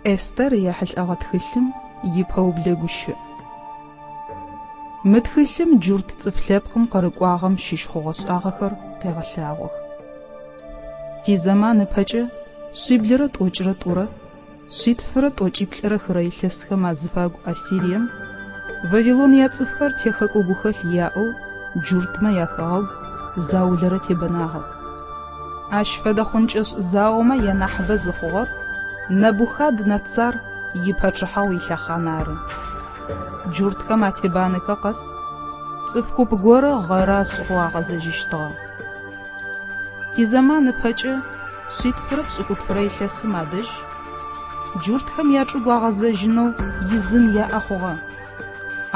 Эстэр ехьылӏэгъэ тхылъым ипэублэ гущыӏ. Мы тхылъым джурт цӏыф лъэпкъым къырыкӏуагъэм щыщ хъугъэ-шӏагъэхэр къегъэлъагъох. Тизэман ыпэкӏэ шъиблырэ тӏокӏырэ тӏурэ, шъитфырэ тӏокӏиплӏырэ хырэ илъэсхэм азыфагу Ассирием, Вавилон яцӏыфхэр техэкӏо гухэлъ яӏэу джуртмэ яхэгъэгу заулэрэ тебэнагъэх. Ащ фэдэ хъункӏэшӏ заомэ янахьыбэ зыхъугъэр Нэбухад-Нэцар ипачъыхьагъу илъэхъан ары. Джуртхэм атебанэхэ къэс, цӏыф куп горэ гъэры ашӏыгъэу агъэзэжьыщтыгъэ. Тизэман ыпэкӏэ шъитфырэ пшӏыкӏутфырэ илъэсым адэжь джуртхэм ячӏыгу агъэзэжьынэу изын яӏэ хъугъэ,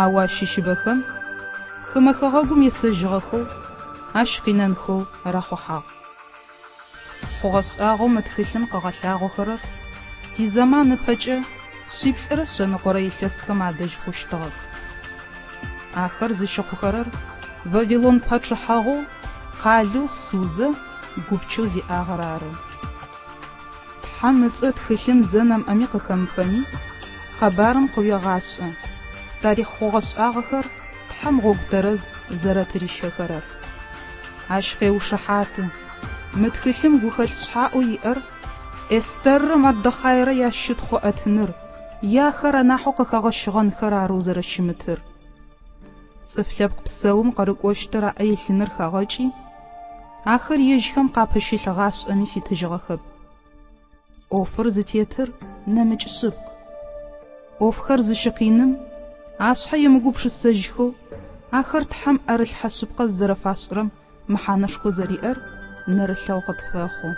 ау ащыщыбэхэм хымэ хэгъэгум есэжьыгъэхэу ащ къинэнхэу рахъухьагъ. Хъугъэ-шӏагъэу мы тхылъым къыгъэлъагъохэрэр тизэман ыпэкӏэ шъиплӏырэ шъэныкъорэ илъэсхэм адэжь хъущтыгъэх. Ахэр зыщыхъухэрэр Вавилон пачъыхьагъоу къалэу Сузэ гупчэу зиӏагъэр ары. Тхьэм ыцӏэ тхылъым зэ нэмыӏэми къыхэмыфэми, къэбарым къыуегъашӏэ, тарихъ хъугъэ-шӏагъэхэр Тхьэм гъогу тэрэз зэрэтырищэхэрэр. Ащ къеушыхьаты, мы тхылъым гухэлъ шъхьаӏэу иӏэр Эстэррэ Мардохайрэ ящытхъу ыӏэтыныр е ахэр анахьэу къыхэгъэщыгъэнхэр арэу зэрэщымытыр. Цӏыф лъэпкъ псэум къырыкӏощтыр аӏэ илъыныр хагъэкӏи, ахэр ежьхэм къапыщылъ гъашӏэми фитыжьыгъэхэп. ӏофыр зытетыр нэмыкӏ шъыпкъ. ӏофхэр зыщыкъиным, ашъхьэ емыгупшысэжьхэу, ахэр Тхьэм ӏэрылъхьэ шъыпкъэ зызэрэфашӏырэм мэхьанэшхо зэриӏэр нэрылъэгъу къытфэхъу.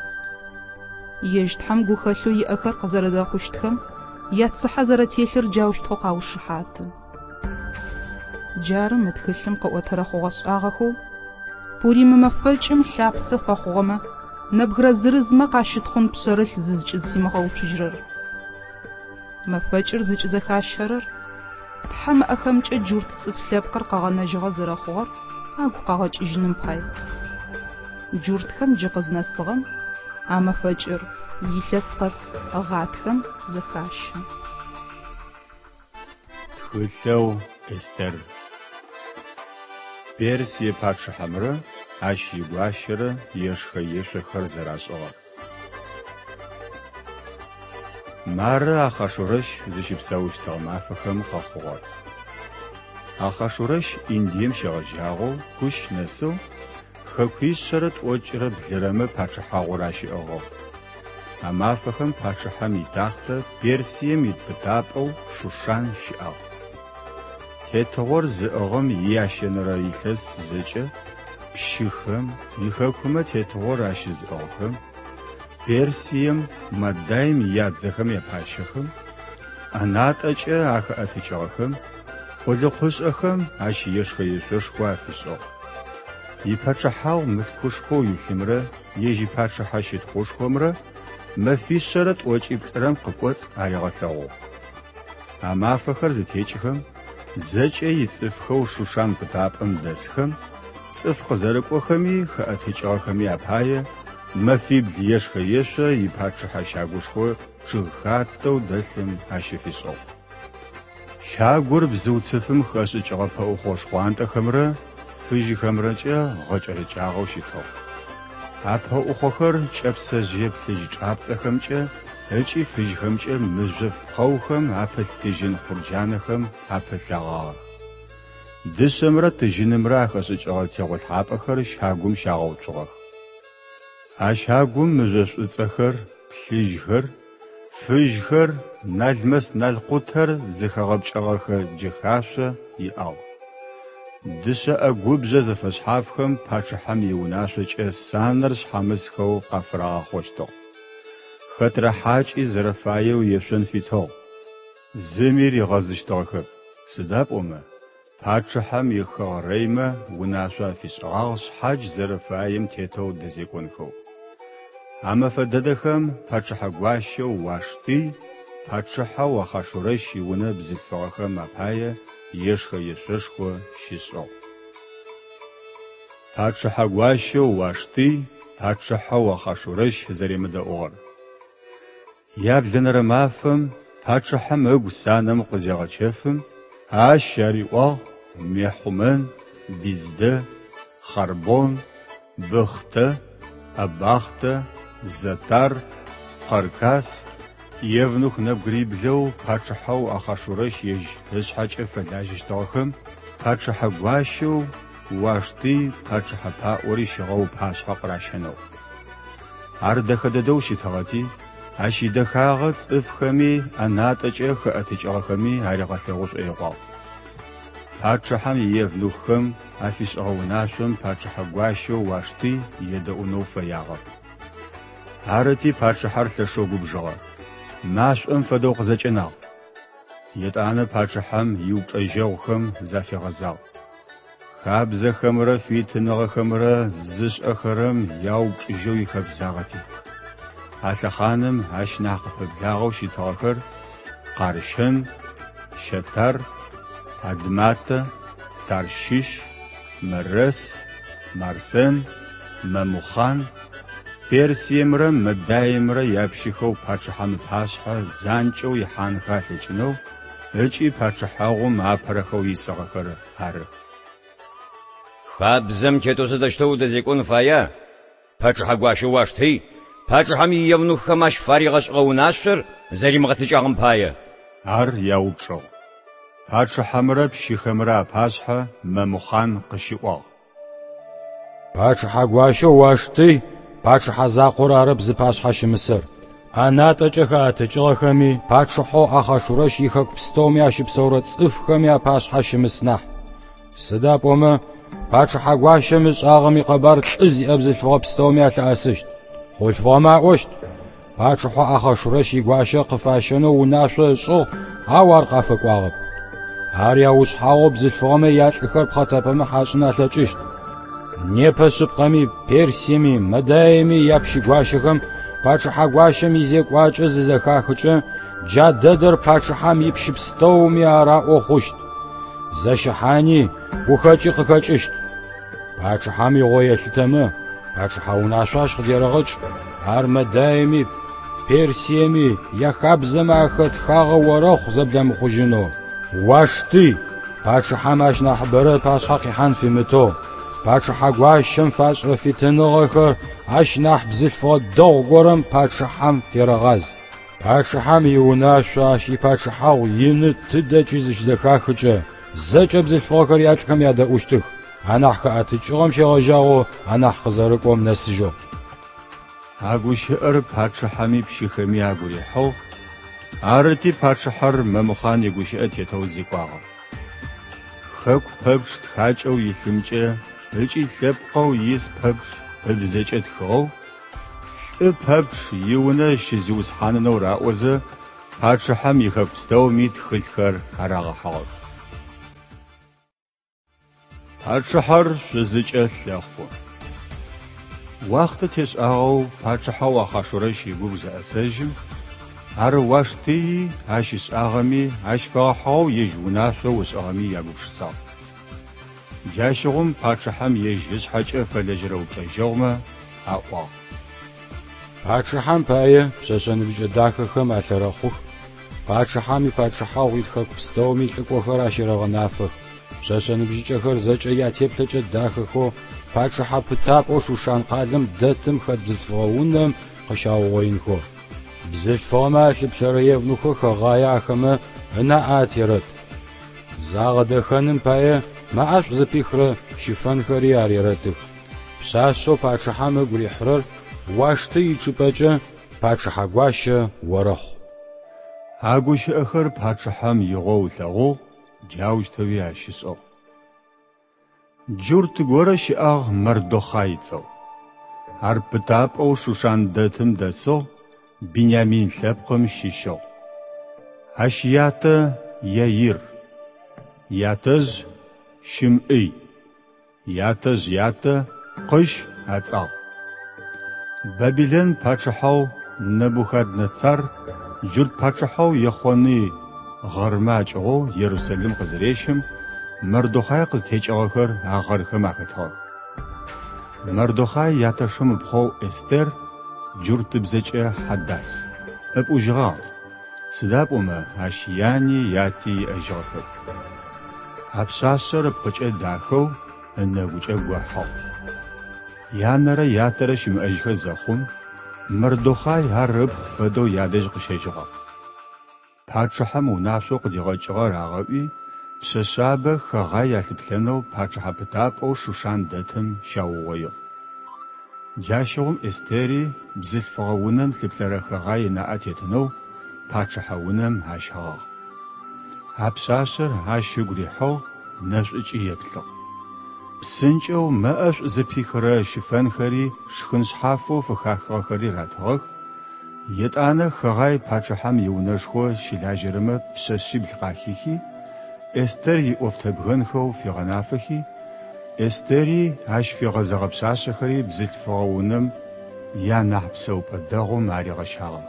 Ежь Тхьэм гухэлъэу иӏэхэр къызэрэдэхъущтхэм яцыхьэ зэрэтелъыр джаущтэу къаушыхьаты. Джары мы тхылъым къыӏотэрэ хъугъэ-шӏагъэхэу Пурим мэфэкӏым лъапсэ фэхъугъэмэ нэбгырэ зырызмэ къащытхъун пшъэрылъ зызкӏызфимыгъэуцужьырэр. Мэфэкӏыр зыкӏызэхащэрэр Тхьэм ыӏэхэмкӏэ джурт цӏыф лъэпкъыр къэгъэнэжьыгъэ зэрэхъугъэр агу къагъэкӏыжьыным пай. Джуртхэм джы къызнэсыгъэм а мэфэкӏыр илъэс къэс гъатхэм зэхащэ. Тхылъэу Эстэр. Персие пачъыхьэмрэ ащ игуащэрэ ешхэ-ешъохэр зэрашӏыгъэр. Мары Ахъашурэщ зыщыпсэущтыгъэ мафэхэм къэхъугъэр. Ахъашурэщ Индием щегъэжьагъэу Кущ нэсэу хэкуишъэрэ тӏокӏырэ блырэмэ пачъыхьагъур ащиӏыгъыгъ. А мафэхэм пачъыхьэм итахътэ Персием ит пытапӏэу Шушан щыӏагъ. Тетыгъор зыӏыгъым иящэнэрэ илъэс зэкӏэ пщыхэм, ихэкумэ тетыгъор ащызыӏыгъхэм, Персием, Мадайм ядзэхэм япащэхэм, ӏэнатӏэкӏэ ахэӏэтыкӏыгъэхэм, къулыкъушӏэхэм ащ ешхэ-ешъошхо афишӏыгъ. Ипачъыхьагъу мылъкушхоу илъымрэ ежь ипачъыхьэ щытхъушхомрэ мэфишъэрэ тӏокӏиплӏырэм къыкӏоцӏ аригъэлъэгъугъ. А мафэхэр зытекӏхэм, зэкӏэ ицӏыфхэу Шушан пытапӏэм дэсхэм, цӏыф къызэрыкӏохэми хэӏэтыкӏыгъэхэми апае мэфибл ешхэ-ешъо ипачъыхьэ щагушхо чъыгхатэу дэлъым ащыфишӏыгъ. Щагур бзыуцыфым хэшӏыкӏыгъэ пэӏухъо шхъуантӏэхэмрэ фыжьхэмрэкӏэ гъэкӏэрэкӏагъэу щытыгъ. А пэӏухъохэр кӏэпсэжъые плъыжь чӏапцӏэхэмкӏэ ыкӏи фыжьхэмкӏэ мыжъоф пхъэухэм апылъ тыжьын хъурджанэхэм апылъэгъагъэх. Дышъэмрэ тыжьынымрэ ахэшӏыкӏыгъэ тегъолъхьапӏэхэр щагум щагъэуцугъэх. А щагум мыжъо шӏуцӏэхэр, плъыжьхэр, фыжьхэр, налмэс-налкъутэр зыхэгъэпкӏэгъэхэ джэхашъо иӏагъ. Дышъэ ӏэгубжъэ зэфэшъхьафхэм пачъыхьэм иунашъокӏэ санэр шъхьамысхэу къафырагъахъощтыгъ. Хэтрэ хьакӏи зэрэфаеу ешъон фитыгъ. Зыми ригъэзыщтыгъэхэп, сыда пӏомэ, пачъыхьэм ихэгърэймэ унашъо афишӏыгъагъ шъхьадж зэрэфаем тетэу дэзекӏонхэу. А мэфэ дэдэхэм пачъыхьэ гуащэу Уаштый пачъыхьэу Ахъашурэщ иунэ бзылъфыгъэхэм апае ешхэ-ешъошхо щишӏыгъ. Пачъыхьэ гуащэу Уаштый пачъыхьэу Ахъашурэщ зэремыдэӏугъэр. Яблэнэрэ мафэм пачъыхьэм ыгу санэм къызегъэчэфым, ащ ариӏуагъ Мехъумэн, Биздэ, Хъарбон, Быхътэ, Абахътэ, Зэтар, Къэркас, евнух нэбгыриблэу пачъыхьэу Ахъашурэщ ежь ышъхьэкӏэ фэлажьэщтыгъэхэм пачъыхьэ гуащэу Уаштый пачъыхьэ паӏори щыгъэу ыпашъхьэ къыращэнэу. Ар дэхэ дэдэу щытыгъэти, ащ идэхагъэ цӏыфхэми ӏэнатӏэкӏэ хэӏэтыкӏыгъэхэми аригъэлъэгъу шӏоигъуагъ. Пачъыхьэм иевнуххэм афишӏыгъэ унашъом пачъыхьэ гуащэу Уаштый едэӏунэу фэягъэп. Арыти, пачъыхьэр лъэшэу губжыгъэ, машӏом фэдэу къызэкӏэнагъ. Етӏанэ пачъыхьэм иупчӏэжьэгъухэм зафигъэзагъ. Хабзэхэмрэ фитыныгъэхэмрэ зышӏэхэрэм яупчӏыжьэу ихэбзагъэти. А лъэхъаным ащ нахь къыпэблагъэу щытыгъэхэр Къарщэн, Щэтар, Адматэ, Тарщыщ, Мэрэс, Марсэн, Мэмухъан, Персиемрэ Мэдаимрэ япщыхэу пачъыхьэм ыпашъхьэ занкӏэу ихьанхэ алъэкӏынэу ыкӏи пачъыхьэгъум апэрэхэу исыгъэхэр ары. Хабзэм тетэу сыдэущтэу удэзекӏон фая? Пачъыхьэ гуащэу Уаштый пачъыхьэм иевнуххэм ащ фаригъэшӏыгъэ унашъор зэримыгъэцэкӏагъэм пае. Ар яупчӏыгъ. Пачъыхьэмрэ пщыхэмрэ апашъхьэ Мэмухъан къыщиӏуагъ. Пачъыхьэ гуащэу Уаштый пачъыхьэ закъор арэп зыпашъхьэ щымысэр. Ӏэнатӏэкӏэ хэӏэтыкӏыгъэхэми, пачъыхьэу Ахъашурэщ ихэку пстэуми ащыпсэурэ цӏыфхэми апашъхьэ щымыс нахь. Сыда пӏомэ, пачъыхьэ гуащэм ышӏагъэм икъэбар лӏы зиӏэ бзылъфыгъэ пстэуми алъыӏэсыщт. Хъулъфыгъэмэ аӏощт, Пачъыхьэу Ахъашурэщ игуащэ къыфащэнэу унашъо ышӏыгъ, ау ар къафэкӏуагъэп. Ар яушъхьагъоу бзылъфыгъэмэ ялӏыхэр пхъэтэпэмыхь ашӏын алъэкӏыщт. Непэ шъыпкъэми, Персиеми, Мэдаеми япщыгуащэхэм пачъыхьэ гуащэм изекӏуакӏэ зызэхахыкӏэ, джа дэдэр пачъыхьэм ипщы пстэуми араӏо хъущт. Зэщыхьани, гухэкӏи къыхэкӏыщт. Пачъыхьэм игъо елъытэмэ, пачъыхьэ унашъо ащ къыдерэгъэкӏ, ар Мэдаеми, Персиеми яхабзэмэ ахэтхагъэ орэхъу зэбламыхъужьынэу. Уаштый, пачъыхьэм ащ нахьыбэрэ ыпашъхьэ къихьан фимытэу, пачъыхьэ гуащэм фашӏырэ фитыныгъэхэр ащ нахь бзылъфыгъэ дэгъу горэм пачъыхьэм ферэгъаз. Пачъыхьэм иунашъо ащ ипачъыхьагъу ины тыдэкӏи зыщызэхахыкӏэ, зэкӏэ бзылъфыгъэхэр ялӏхэм ядэӏущтых, анахь хэӏэтыкӏыгъэм щегъэжьагъэу анахь къызэрыкӏом нэсыжьэу. А гущыӏэр пачъыхьэми пщыхэми агу рихьыгъ, арыти пачъыхьэр Мэмухъан игущыӏэ тетэу зекӏуагъэ. Хэку пэпчъ тхакӏэу илъымкӏэ ыкӏи лъэпкъэу ис пэпчъ ыбзэкӏэ тхыгъэу, лӏы пэпчъ иунэ щызиусхьанынэу раӏозэ, пачъыхьэм ихэку пстэуми тхылъхэр арагъэхьыгъэх. Пачъыхьэр шъузыкӏэ лъэхъу. Уахътэ тешӏагъэу пачъыхьэу Ахъашурэщ игубж зэӏэсэжьым, ар Уаштыи ащ ышӏагъэми, ащ фэгъэхьыгъэу ежь унашъоу ышӏыгъэми ягупшысагъ. Джащыгъум пачъыхьэм ежь ышъхьэкӏэ фэлэжьэрэ упчӏэжьэгъумэ аӏуагъ. Пачъыхьэм пае пшъэшъэ ныбжьыкӏэ дахэхэм алъэрэхъух, пачъыхьэм ипачъыхьагъу ит хэку пстэуми лӏыкӏохэр ащерэгъэнафэх. Пшъэшъэ ныбжьыкӏэхэр зэкӏэ ятеплъэкӏэ дахэхэу пачъыхьэ пытапӏэу Шушан къалэм дэтым хэт бзылъфыгъэ унэм къыщаугъоинхэу. Бзылъфыгъэмэ алъыплъэрэ евнухэу Хэгъае ахэмэ ынаӏэ атерэт. Загъэдэхэным пае мэ ӏэшӏу зыпихрэ щыфэнхэри арерэтых. Пшъашъэу пачъыхьэм ыгу рихьырэр Уаштый ичӏыпӏэкӏэ пачъыхьэ гуащэ орэхъу. А гущыӏэхэр пачъыхьэм игъоу ылъэгъугъ, джаущтэуи ащ ышӏыгъ. Джурт горэ щыӏагъ Мардохъай ыцӏэу. Ар пытапӏэу Шушан дэтым дэсыгъ, Бинямин лъэпкъым щыщыгъ. Ащ ятэ Яир, ятэжъ Щымӏый, ятэжъ ятэ Къыщ ацӏагъ. Бабилэн пачъыхьэу Нэбухаднэцар джурт пачъыхьэу Ехъоный гъэрмэ акӏыгъоу Ерусэлим къызырещым, Мардохъай къызтекӏыгъэхэр а гъэрхэм ахэтыгъэх. Мардохъай ятэшым ыпхъоу Эстер, джуртыбзэкӏэ Хьадас. ыпӏужьыгъагъ, сыда пӏомэ ащ яни яти иӏэжьыгъэхэп. А пшъашъэр ыпкъыкӏэ дахэу, ынэгукӏэ гохьыгъ. Янэрэ ятэрэ щымыӏэжьхэ зэхъум, Мардохъай ар ыпхъу фэдэу ядэжь къыщэжьыгъагъ. Пачъыхьэм унашъоу къыдигъэкӏыгъэр агъэӏуи, пшъэшъабэ Хэгъай алъыплъэнэу пачъыхьэ пытапӏэу Шушан дэтым щаугъоигъ. Джащыгъум Эстери бзылъфыгъэ унэм лъыплъэрэ Хэгъай ынаӏэ тетынэу пачъыхьэ унэм ащэгъагъ. А пшъашъэр ащ ыгу рихьыгъ, нэшӏукӏи еплъыгъ. Псынкӏэу мэ ӏэшӏу зыпихырэ щыфэнхэри шхын шъхьафэу фыхахыгъэхэри ратыгъэх, Етӏанэ Хэгъай пачъыхьэм иунэшхо щылажьэрэмэ пшъэшъибл къахихи, Эстэр иӏофтэбгэнхэу фигъэнафэхи, Эстэри ащ фигъэзэгъэ пшъашъэхэри бзылъфыгъэ унэм ианахь псэупӏэ дэгъум аригъэщагъэх.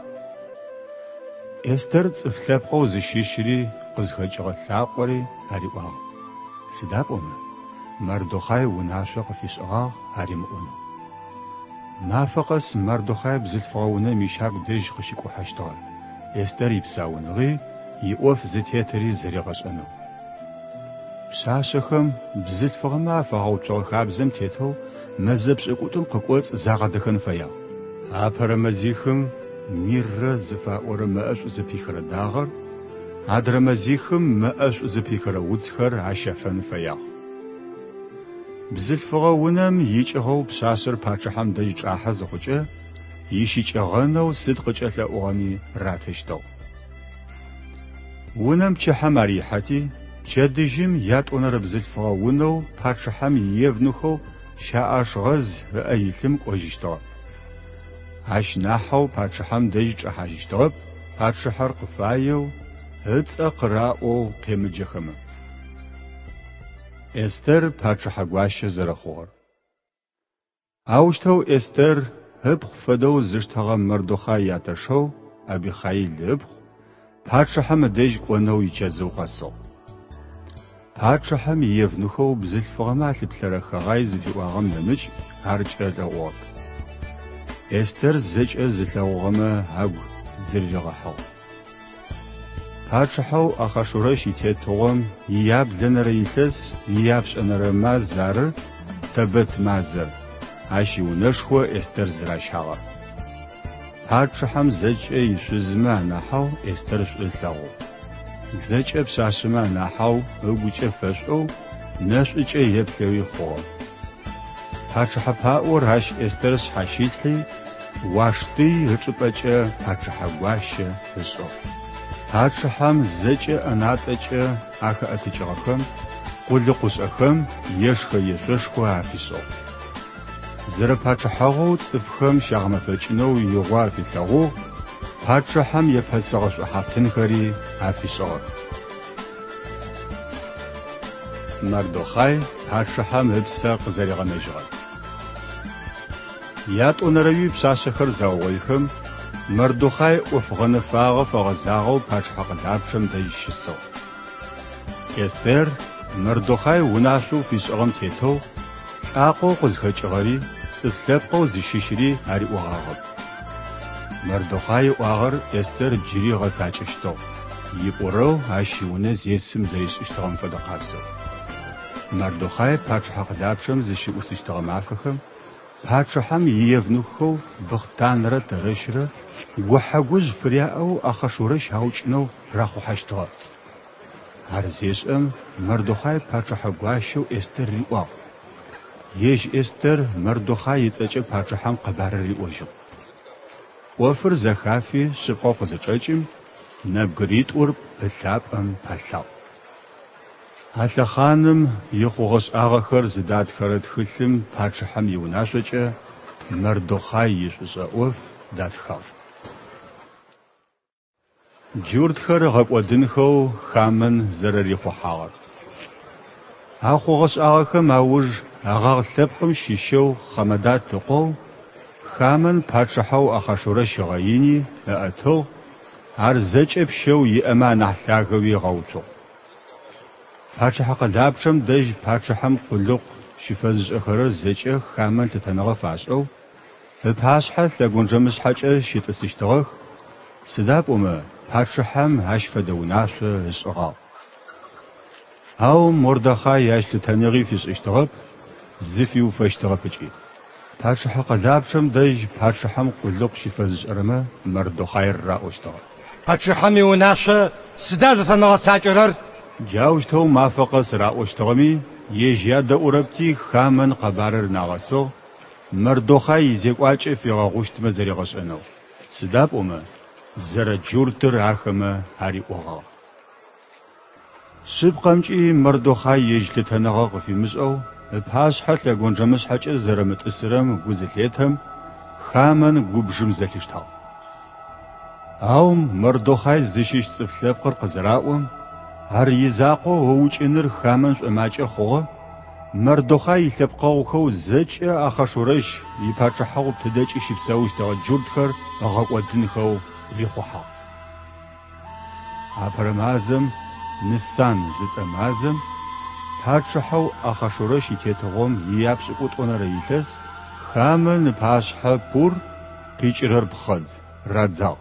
Эстэр цӏыф лъэпкъэу зыщыщри къызхэкӏыгъэ лӏакъори ариӏуагъ, сыда пӏомэ Мардохъай унашъо къыфишӏыгъагъ аримыӏонэу. Мафэ къэс Мардохъай бзылъфыгъэ унэм ищагу дэжь къыщикӏухьэщтыгъэ, Эстэр ипсауныгъи, иӏоф зытетыри зэригъэшӏэнэу. Пшъашъэхэм бзылъфыгъэмэ афагъэуцугъэ хабзэм тетэу мэзэ пшӏыкӏутӏум къыкӏоцӏ загъэдэхэн фэягъ. Апэрэ мэзихым миррэ зыфаӏорэ мэӏэшӏу зыпихырэ дагъэр, адрэ мэзихым мэӏэшӏу зыпихырэ уцхэр ащэфэн фэягъ. Бзылъфыгъэ унэм икӏыгъэу пшъашъэр пачъыхьэм дэжь чӏахьэ зыхъукӏэ, ищыкӏэгъэнэу сыд къыкӏэлъэӏугъэми ратыщтыгъ. Унэм пчыхьэм ар ихьэти, пчэдыжьым ятӏонэрэ бзылъфыгъэ унэу пачъыхьэм иевнухэу Щаӏашгъэз ыӏэ илъым кӏожьыщтыгъэ. Ащ нахьэу пачъыхьэм дэжь чӏэхьажьыщтыгъэп, пачъыхьэр къыфаеу, ыцӏэ къыраӏоу къемыджэхэмэ. Эстэр пачъыхьэ гуащэ зэрэхъугъэр. Аущтэу Эстэр ыпхъу фэдэу зыштэгъэ Мардохъай ятэшэу Абихъаил ыпхъу пачъыхьэм ыдэжь кӏонэу ичэзыу къэсыгъ. Пачъыхьэм иевнухэу бзылъфыгъэмэ алъыплъэрэ Хэгъай зыфиӏуагъэм нэмыкӏ ар кӏэлъэӏугъэп. Эстэр зэкӏэ зылъэгъугъэмэ агу зырыригъэхьыгъ. Пачъыхьэу Ахъашурэщ итетыгъом ияблэнэрэ илъэс ияпшӏэнэрэ маз ары Тэбэт мазэр, ащ иунэшхо Эстэр зыращагъэр. Пачъыхьэм зэкӏэ ишъузмэ анахьэу Эстэр шӏу ылъэгъугъ. Зэкӏэ пшъашъэмэ анахьэу ыгукӏэ фэшӏоу, нэшӏукӏэ еплъэуи хъугъэ. Пачъыхьэ паӏор ащ Эстэр шъхьащилъхьи, Уаштый ычӏыпӏэкӏэ пачъыхьэ гуащэ ышӏыгъ. Пачъыхьэм зэкӏэ ӏэнатӏэкӏэ ахэӏэтыкӏыгъэхэм, къулыкъушӏэхэм ешхэ-ешъошхо афишӏыгъ. Зэрэпачъыхьэгъоу цӏыфхэм щагъэмэфэкӏынэу игъо афилъэгъугъ, пачъыхьэм епэсыгъэ шӏухьафтынхэри афишӏыгъэх. Мардохъай пачъыхьэм ыпсэ къызэригъэнэжьыгъэр. Ятӏонэрэуи пшъашъэхэр заугъоихэм, Мардохъай ӏоф гъэнэфагъэ фэгъэзагъэу пачъыхьэ къэлапчъэм дэжь щысыгъ. Эстер Мардохъай унашъоу фишӏыгъэм тетэу, лӏакъоу къызхэкӏыгъэри, цӏыф лъэпкъэу зыщыщыри ариӏогъагъэп. Мардохъай ыӏуагъэр Эстер джыри ыгъэцакӏэщтыгъ, ипӏурэу ащ иунэ зесым зэришӏыщтыгъэм фэдэ къабзэу. Мардохъай пачъыхьэ къэлапчъэм зыщыӏусыщтыгъэ мафэхэм пачъыхьэм иевнуххэу Быхътанрэ Тэрэщрэ гухьэ-гужъ фыряӏэу Ахъашурэщ аукӏынэу рахъухьэщтыгъэ. Ар зешӏэм, Мардохъай пачъыхьэ гуащэу Эстэр риӏуагъ. Ежь Эстэр Мардохъай ыцӏэкӏэ пачъыхьэм къэбарыр риӏожьыгъ. ӏофыр зэхафи шъыпкъэу къызычӏэкӏым, нэбгыритӏур пылъапӏэм палъагъ. А лъэхъаным ихъугъэ-шӏагъэхэр зыдатхэрэ тхылъым пачъыхьэм иунашъокӏэ Мардохъай ишӏушӏэ ӏоф датхагъ. Джуртхэр ыгъэкӏодынхэу Хамэн зэрэрихъухьагъэр. А хъугъэ-шӏагъэхэм ауж Агъагъ лъэпкъым щыщэу Хъамэдат ыкъоу Хамэн пачъыхьэу Ахъашурэщ ыгъэини ыӏэтыгъ, ар зэкӏэ пщэу иӏэмэ анахь лъагэуи ыгъэуцугъ. Пачъыхьэ къэлапчъэм дэжь пачъыхьэм къулыкъу щыфэзышӏэхэрэр зэкӏэ Хамэн лъытэныгъэ фашӏэу, ыпашъхьэ лъэгонджэмышъхьэкӏэ щытӏысыщтыгъэх. Сыда пӏомэ пачъыхьэм ащ фэдэ унашъо ышӏыгъагъ. Ау Мордахай ащ лъытэныгъи фишӏыщтыгъэп, зыфиуфэщтыгъэп ыкӏи. Пачъыхьэ къэлапчъэм дэжь пачъыхьэм къулыкъу щыфэзышӏэрэмэ Мардохъайр раӏощтыгъэ. Пачъыхьэм иунашъо сыда зыфэмыгъэцакӏэрэр? Джаущтэу мафэ къэс раӏощтыгъэми, ежь ядэӏурэпти, Хамэн къэбарыр нагъэсыгъ, Мардохъай изекӏуакӏэ фигъэгъущтмэ зэригъэшӏэнэу, сыда пӏомэ зэрэджуртыр ахэмэ ариӏогъагъ. Шъыпкъэмкӏи, Мардохъай ежь лъытэныгъэ къыфимышӏэу, ыпашъхьэ лъэгонджэмышъхьэкӏэ зэрэмытӏысырэм гу зылъетэм, Хамэн губжым зэлъиштагъ. Ау Мардохъай зыщыщ цӏыф лъэпкъыр къызыраӏом, ар изакъоу ыукӏыныр Хамэн шӏомакӏэ хъугъэ, Мардохъай илъэпкъэгъухэу зэкӏэ Ахъашурэщ ипачъыхьэгъу тыдэкӏи щыпсэущтыгъэ джуртхэр ыгъэкӏодынхэу рихъухьагъ. Апэрэ мазэм, Нысан зыцӏэ мазэм, пачъыхьэу Ахъашурэщ итетыгъом ияпшӏыкӏутӏонэрэ илъэс Хамэн ыпашъхьэ пур, къикӏырэр пхъэдз, радзагъ.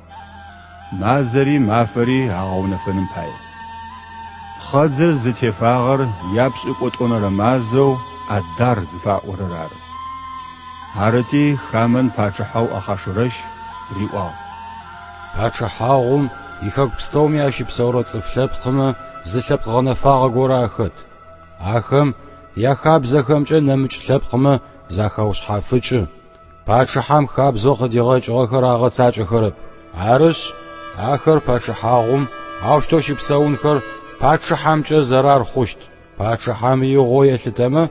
Мазэри мафэри агъэунэфыным пае. Пхъэдзыр зытефагъэр япшӏыкӏутӏонэрэ мазэу Адар зыфаӏорэр ары. Арыти, Хамэн пачъыхьэу Ахъашурэщ риӏуагъ. Пачъыхьагъум ихэку пстэуми ащыпсэурэ цӏыф лъэпкъмэ зы лъэпкъ гъэнэфагъэ горэ ахэт. Ахэм яхабзэхэмкӏэ нэмыкӏ лъэпкъмэ захаушъхьафыкӏы. Пачъыхьэм хабзэу къыдигъэкӏыгъэхэр агъэцакӏэхэрэп. Арышъ, ахэр пачъыхьагъум аущтэу щыпсэунхэр пачъыхьэмкӏэ зэрар хъущт. Пачъыхьэм игъоу елъытэмэ,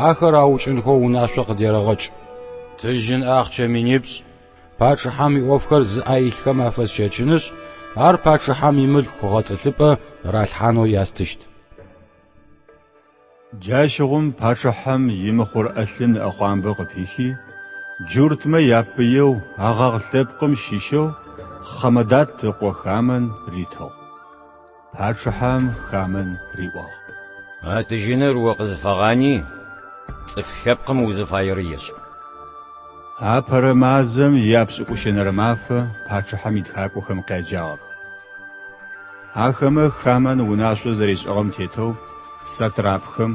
ахэр аукӏынхэу унашъо къыдерэгъэкӏ. Тыжьын ахъчэ минипшӏ пачъыхьэм иӏофхэр зыӏэ илъхэм афэсщэчынышъ, ар пачъыхьэм имылъку гъэтӏылъыпӏэ ралъхьанэу ястыщт. Джащыгъум пачъыхьэм имыхъур ӏэлъын ыӏэхъуамбэ къыпихи, джуртмэ япыеу Агъагъ лъэпкъым щыщэу Хъамэдат ыкъо Хамэн ритыгъ. Пачъыхьэм Хамэн риӏуагъ. А тыжьыныр о къызыфэгъани, цӏыф лъэпкъым узыфаер ешӏ. Апэрэ мазэм ияпшӏыкӏущэнэрэ мафэ пачъыхьэм итхакӏохэм къяджагъэх. Ахэмэ Хамэн унашъо зэришӏыгъэм тетэу сатрапхэм,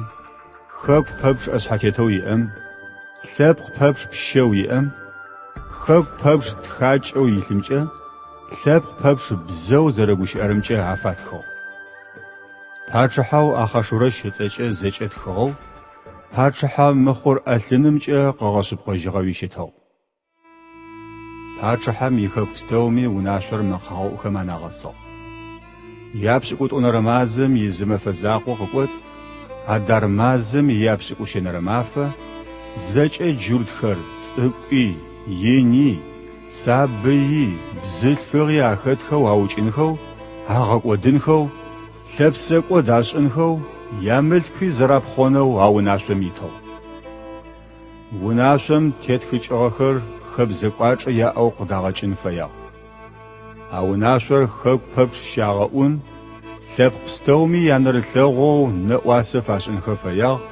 хэку пэпчъ ӏэшъхьэтетэу иӏэм, лъэпкъ пэпчъ пщэу иӏэм, хэку пэпчъ тхакӏэу илъымкӏэ, лъэпкъ пэпчъ бзэу зэрэгущыӏэрэмкӏэ афатхыгъ. Пачъыхьэу Ахъашурэщ ыцӏэкӏэ зэкӏэ тхыгъэу, пачъыхьэ мыхъур ӏэлъынымкӏэ къэгъэшъыпкъэжьыгъэуи щытыгъ. Пачъыхьэм ихэку пстэуми унашъор мэкъэгъэӏухэм анагъэсыгъ. Япшӏыкӏутӏонэрэ мазэм изы мэфэ закъо къыкӏоцӏ, Адар мазэм ияпшӏыкӏущэнэрэ мафэ, зэкӏэ джуртхэр, цӏыкӏуи, ини, сабыйи, бзылъфыгъи ахэтхэу аукӏынхэу, агъэкӏодынхэу, лъэпсэкӏод ашӏынхэу, ямылъкуи зэрапхъонэу а унашъом итыгъ. Унашъом тетхыкӏыгъэхэр хэбзэ кӏуачӏэ яӏэу къыдагъэкӏын фэягъ. А унашъор хэку пэпчъ щагъэӏун, лъэпкъ пстэуми янэрылъэгъоу нэӏуасэ фашӏынхэ фэягъ,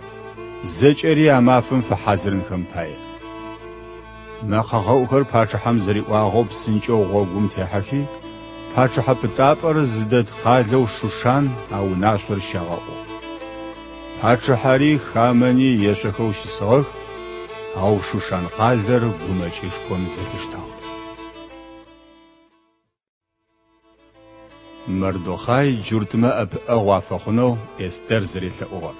зэкӏэри а мафэм фэхьазырынхэм пае. Мэкъэгъэӏухэр пачъыхьэм зэриӏуагъэу псынкӏэу гъогум техьэхи, пачъыхьэ пытапӏэр зыдэт къалэу Шушан а унашъор щагъэӏугъ. Пачъыхьэри Хамэни ешъохэу щысыгъэх, ау Шушан къалэр гумэкӏышхом зэлъиштагъ. Мардохъай джуртмэ ӏэпыӏэгъу афэхъунэу Эстер зэрелъэӏугъэр.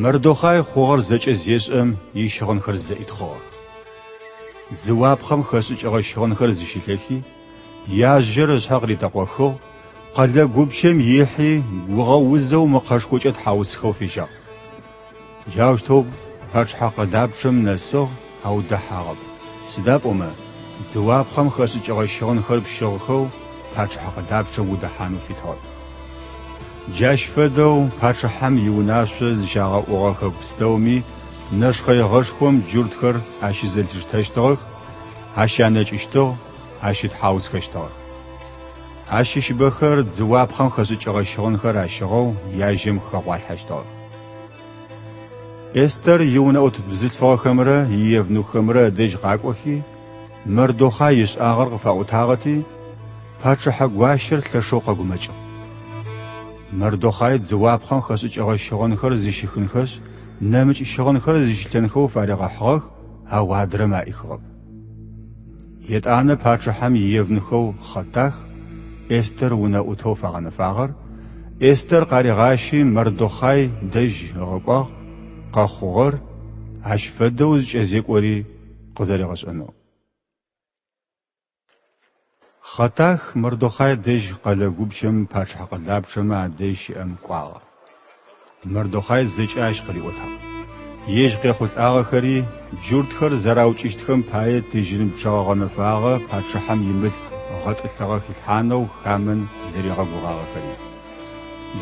Мардохъай хъугъэр зэкӏэ зешӏэм ищыгъынхэр зэӏитхъыгъэх. Дзыуапхъэм хэшӏыкӏыгъэ щыгъынхэр зыщилъэхи, яжьэр ышъхьэ къыритэкъохыгъ, къэлэ гупчэм ихьи, гугъэузэу мэкъэшхокӏэ тхьаусхэу фежьагъ. Джаущтэу пачъыхьэ къэлапчъэм нэсыгъ, ау дэхьагъэп, сыда пӏомэ дзыуапхъэм хэшӏыкӏыгъэ щыгъынхэр пщыгъхэу пачъыхьэ къэлапчъэм удэхьанэу фитыгъэп. Джащ фэдэу пачъыхьэм иунашъо зыщагъэӏугъэ хэку пстэуми нэшхъэигъэшхом джуртхэр ащызэлъиштэщтыгъэх, ащанэкӏыщтыгъ, ащытхьаусхэщтыгъэх. Ащыщыбэхэр дзыуапхъэм хэшӏыкӏыгъэ щыгъынхэр ащыгъэу яжьэм хэгъуалъхьэщтыгъэх. Эстэр иунэӏут бзылъфыгъэхэмрэ иевнуххэмрэ ыдэжь къакӏохи, Мардохъай ышӏагъэр къыфаӏотагъэти, Пачъыхьэ гуащэр лъэшэу къэгумэкӏыгъ. Мардохъай дзыуапхъэм хэшӏыкӏыгъэ щыгъынхэр зыщихынхэшъ, нэмыкӏ щыгъынхэр зыщилъэнхэу фаригъэхьыгъэх, ау адрэм аӏихыгъэп. Етӏанэ пачъыхьэм иевнухэу Хъэтах, Эстэр унэӏутэу фагъэнэфагъэр, Эстэр къаригъащи Мардохъай дэжь ыгъэкӏуагъ, къэхъугъэр, ащ фэдэу зыкӏэзекӏори къызэригъэшӏэнэу. Хъэтах Мардохъай дэжь къэлэ гупчэм пачъыхьэ къэлапчъэмэ адэжь щыӏэм кӏуагъэ. Мардохъай зэкӏэ ащ къыриӏотагъ. Ежь къехъулӏагъэхэри, джуртхэр зэраукӏыщтхэм пае тыжьын пчъэгъэ гъэнэфагъэ пачъыхьэм имылъку гъэтӏылъыгъэ хилъхьанэу Хамэн зэригъэгугъагъэхэри.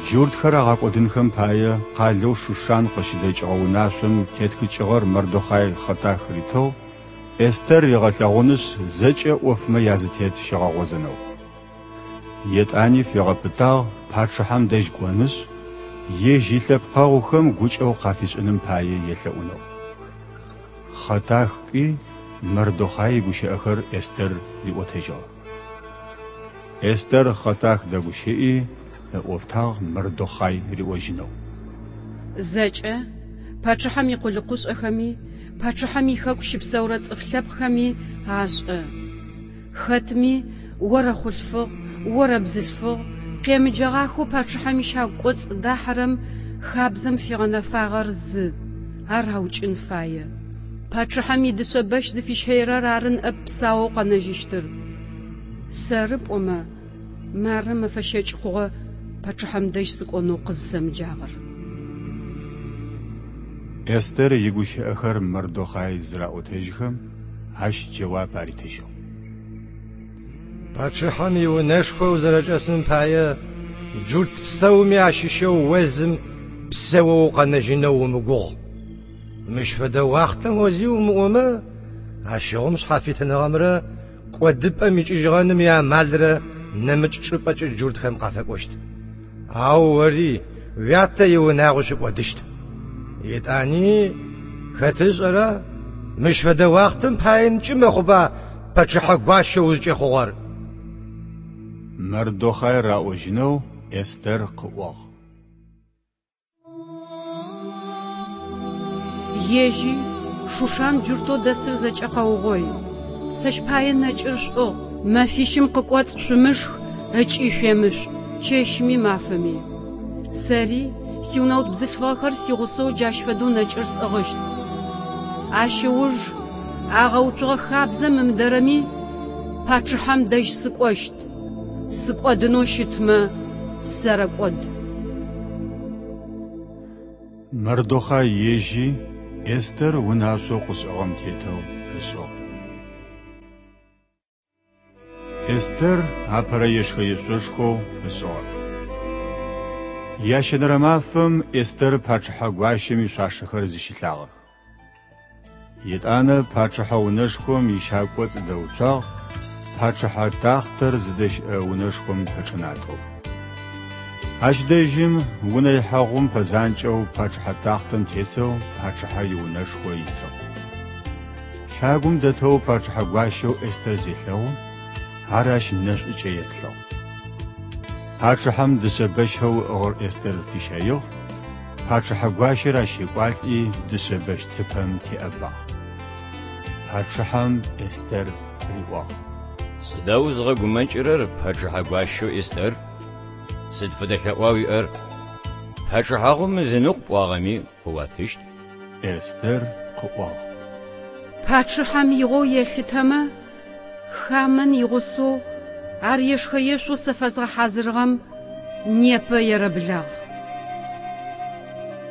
Джуртхэр агъэкӏодынхэм пае къалэу Шушан къыщыдэкӏыгъэ унашъом тетхыкӏыгъэр Мардохъай Хъэтах ритыгъ, Эстэр ригъэлъэгъунышъ, зэкӏэ ӏофмэ язытет щигъэгъозэнэу. Етӏани фигъэпытагъ пачъыхьэм дэжь кӏонышъ, ежь илъэпкъэгъухэм гукӏэгъу къафишӏыным пае елъэӏунэу. Хъэтах кӏуи, Мардохъай игущыӏэхэр Эстэр риӏотэжьыгъэх. Эстэр Хъэтах дэгущыӏи, ыӏофтагъ Мардохъай риӏожьынэу. Зэкӏэ, пачъыхьэм икъулыкъушӏэхэми, пачъыхьэм ихэку щыпсэурэ цӏыф лъэпкъхэми ашӏэ. Хэтми, орэхъулъфыгъ, орэбзылъфыгъ, къемыджэгъахэу пачъыхьэм ищагу кӏоцӏ дахьэрэм хабзэм фигъэнэфагъэр зы, ар аукӏын фае. Пачъыхьэм идышъэ бэщ зыфищэирэр ары ныӏэп псаоу къэнэжьыщтыр. Сэры пӏомэ, мары мэфэ щэкӏ хъугъэ пачъыхьэм дэжь сыкӏонэу къызысэмыджагъэр. Эстэр игущыӏэхэр Мардохъай зыраӏотэжьхэм, ащ джэуап аритыжьыгъ. Пачъыхьэм иунэшхо узэрэчӏэсым пае джурт пстэуми ащыщэу о зым псэоу укъэнэжьынэу умыгугъ. Мыщ фэдэ уахътэм о зи умыӏомэ, ащыгъум шъхьафитыныгъэмрэ кӏодыпӏэм икӏыжьыгъэным иамалрэ нэмыкӏ чӏыпӏэкӏэ джуртхэм къафэкӏощт. Ау ори уятэ иунагъуи шъукӏодыщт. Етӏани, хэт ышӏэра, мыщ фэдэ уахътэм паенкӏи мэхъуба пачъыхьэ гуащэ узкӏэхъугъэр? Мардохъай раӏожьынэу Эстэр къыӏуагъ. Ежьи, Шушан джуртэу дэсыр зэкӏэ къэугъой. Сэщ пае нэкӏыр шъуӏыгъ, мэфищым къыкӏоцӏ шъумышх ыкӏи шъуемышъу, чэщми мафэми. Сэри, сиунэут бзылъфыгъэхэр сигъусэу джащ фэдэу нэкӏыр сӏыгъыщт. Ащ ыуж агъэуцугъэ хабзэм ымыдэрэми, пачъыхьэм дэжь сыкӏощт. Сыкӏодынэу щытмэ, сэрэкӏод. Мардохъай ежьи, Эстэр унашъоу къышӏыгъэм тетэу ышӏыгъ. Эстэр апэрэ ешхэ-ешъошхоу ышӏыгъэр. Ящэнэрэ мафэм Эстэр пачъыхьэ гуащэм ишъуашэхэр зыщилъагъэх. Етӏанэ пачъыхьэ унэшхом ищагу кӏоцӏ дэуцуагъ, пачъыхьэ тахътэр зыдэщыӏэ унэшхом пэчӏынатӏэу. Ащ дэжьым унэ ихьэгъум пэзанкӏэу пачъыхьэ тахътэм тесэу пачъыхьэр иунэшхо исыгъ. Щагум дэтэу пачъыхьэ гуащэу Эстэр зелъэгъум, ар ащ нэшӏукӏэ еплъыгъ. Пачъыхьэм дышъэ бэщэу ыӏыгъыр Эстэр фищэигъ, Пачъыхьэ гуащэр ащ екӏуалӏи дышъэ бэщ цыпэм теӏэбагъ. Пачъыхьэм Эстэр риӏуагъ. Сыда узгъэгумэкӏырэр, пачъыхьэ гуащэу Эстэр? Сыд фэдэ лъэӏуа уиӏэр? Пачъыхьагъум ызыныкъу пӏуагъэми къыуатыщт. Эстэр къыӏуагъ. Пачъыхьэм игъоу елъытэмэ, Хамэн игъусэу ар ешхэ-ешъоу сэ фэзгъэхьазырыгъэм непэ ерэблагъ.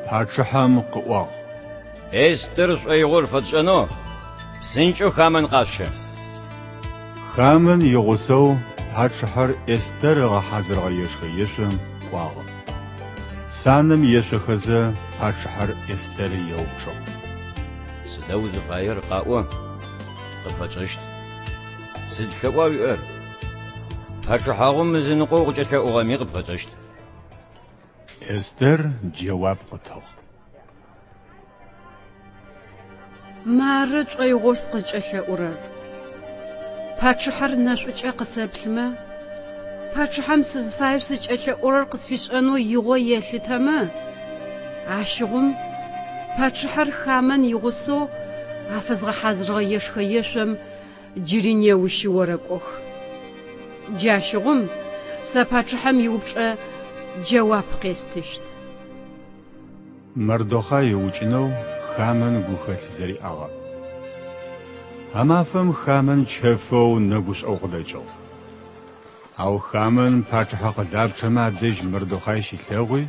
Пачъыхьэм къыӏуагъ. Эстэр шӏоигъор фэтшӏэнэу псынкӏэу Хамэн къашъущэ. Хамэн игъусэу пачъыхьэр Эстэр ыгъэхьазырыгъэ ешхэ-ешъом кӏуагъэ. Санэм ешъохэзэ, пачъыхьэр Эстэр еупчӏыгъ. Сыда узыфаер, къаӏо, къыпфэтшӏэщт. Сыд лъэӏуа уиӏэр? Пачъыхьагъум ызыныкъо укъыкӏэлъэӏугъэми къыпфэтшӏэщт. Эстэр джэуап къытыгъ. Мары шӏоигъоу сыкъызкӏэлъэӏурэр. Пачъыхьэр нэшӏукӏэ къысэплъымэ, Пачъыхьэм сызыфаеу сызкӏэлъэӏурэр къысфишӏэнэу игъо елъытэмэ, ащыгъум пачъыхьэр Хамэн игъусэу афэзгъэхьазырыгъэ ешхэ-ешъом джыри неущи орэкӏох. Джащыгъум сэ пачъыхьэм иупчӏэ джэуап къестыщт. Мардохъай ыукӏынэу Хамэн гухэлъ зэриӏагъэр. А мафэм Хамэн чэфэу нэгушӏоу къыдэкӏыгъ. Ау Хамэн пачъыхьэ къэлапчъэмэ адэжь Мардохъай щилъэгъуи,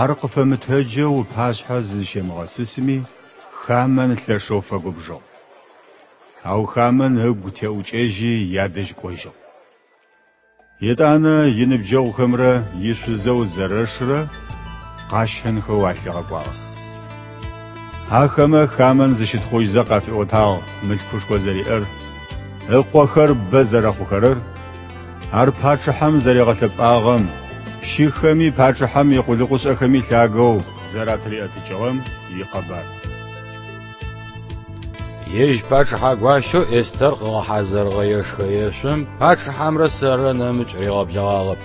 ар къыфэмытэджэу ыпашъхьэ зызщемыгъэсысми, Хамэн лъэшэу фэгубжыгъ. Ау Хамэн ыгу теӏукӏэжьи ядэжь кӏожьыгъ. Етӏанэ иныбджэгъухэмрэ ишъузэу Зэрэшрэ къащэнхэу алъигъэкӏуагъэх. Ахэмэ Хамэн зыщытхъужьзэ къафиӏотагъ мылъкушхо зэриӏэр, ыкъохэр бэ зэрэхъухэрэр, ар пачъыхьэм зэригъэлъэпӏагъэм, пщыхэми пачъыхьэм икъулыкъушӏэхэми лъагэу зэратыриӏэтыкӏыгъэм икъэбар. Ежь пачъыхьэ гуащэу Эстэр къыгъэхьазырыгъэ ешхэ-ешъом пачъыхьэмрэ сэррэ нэмыкӏ ригъэблэгъагъэп.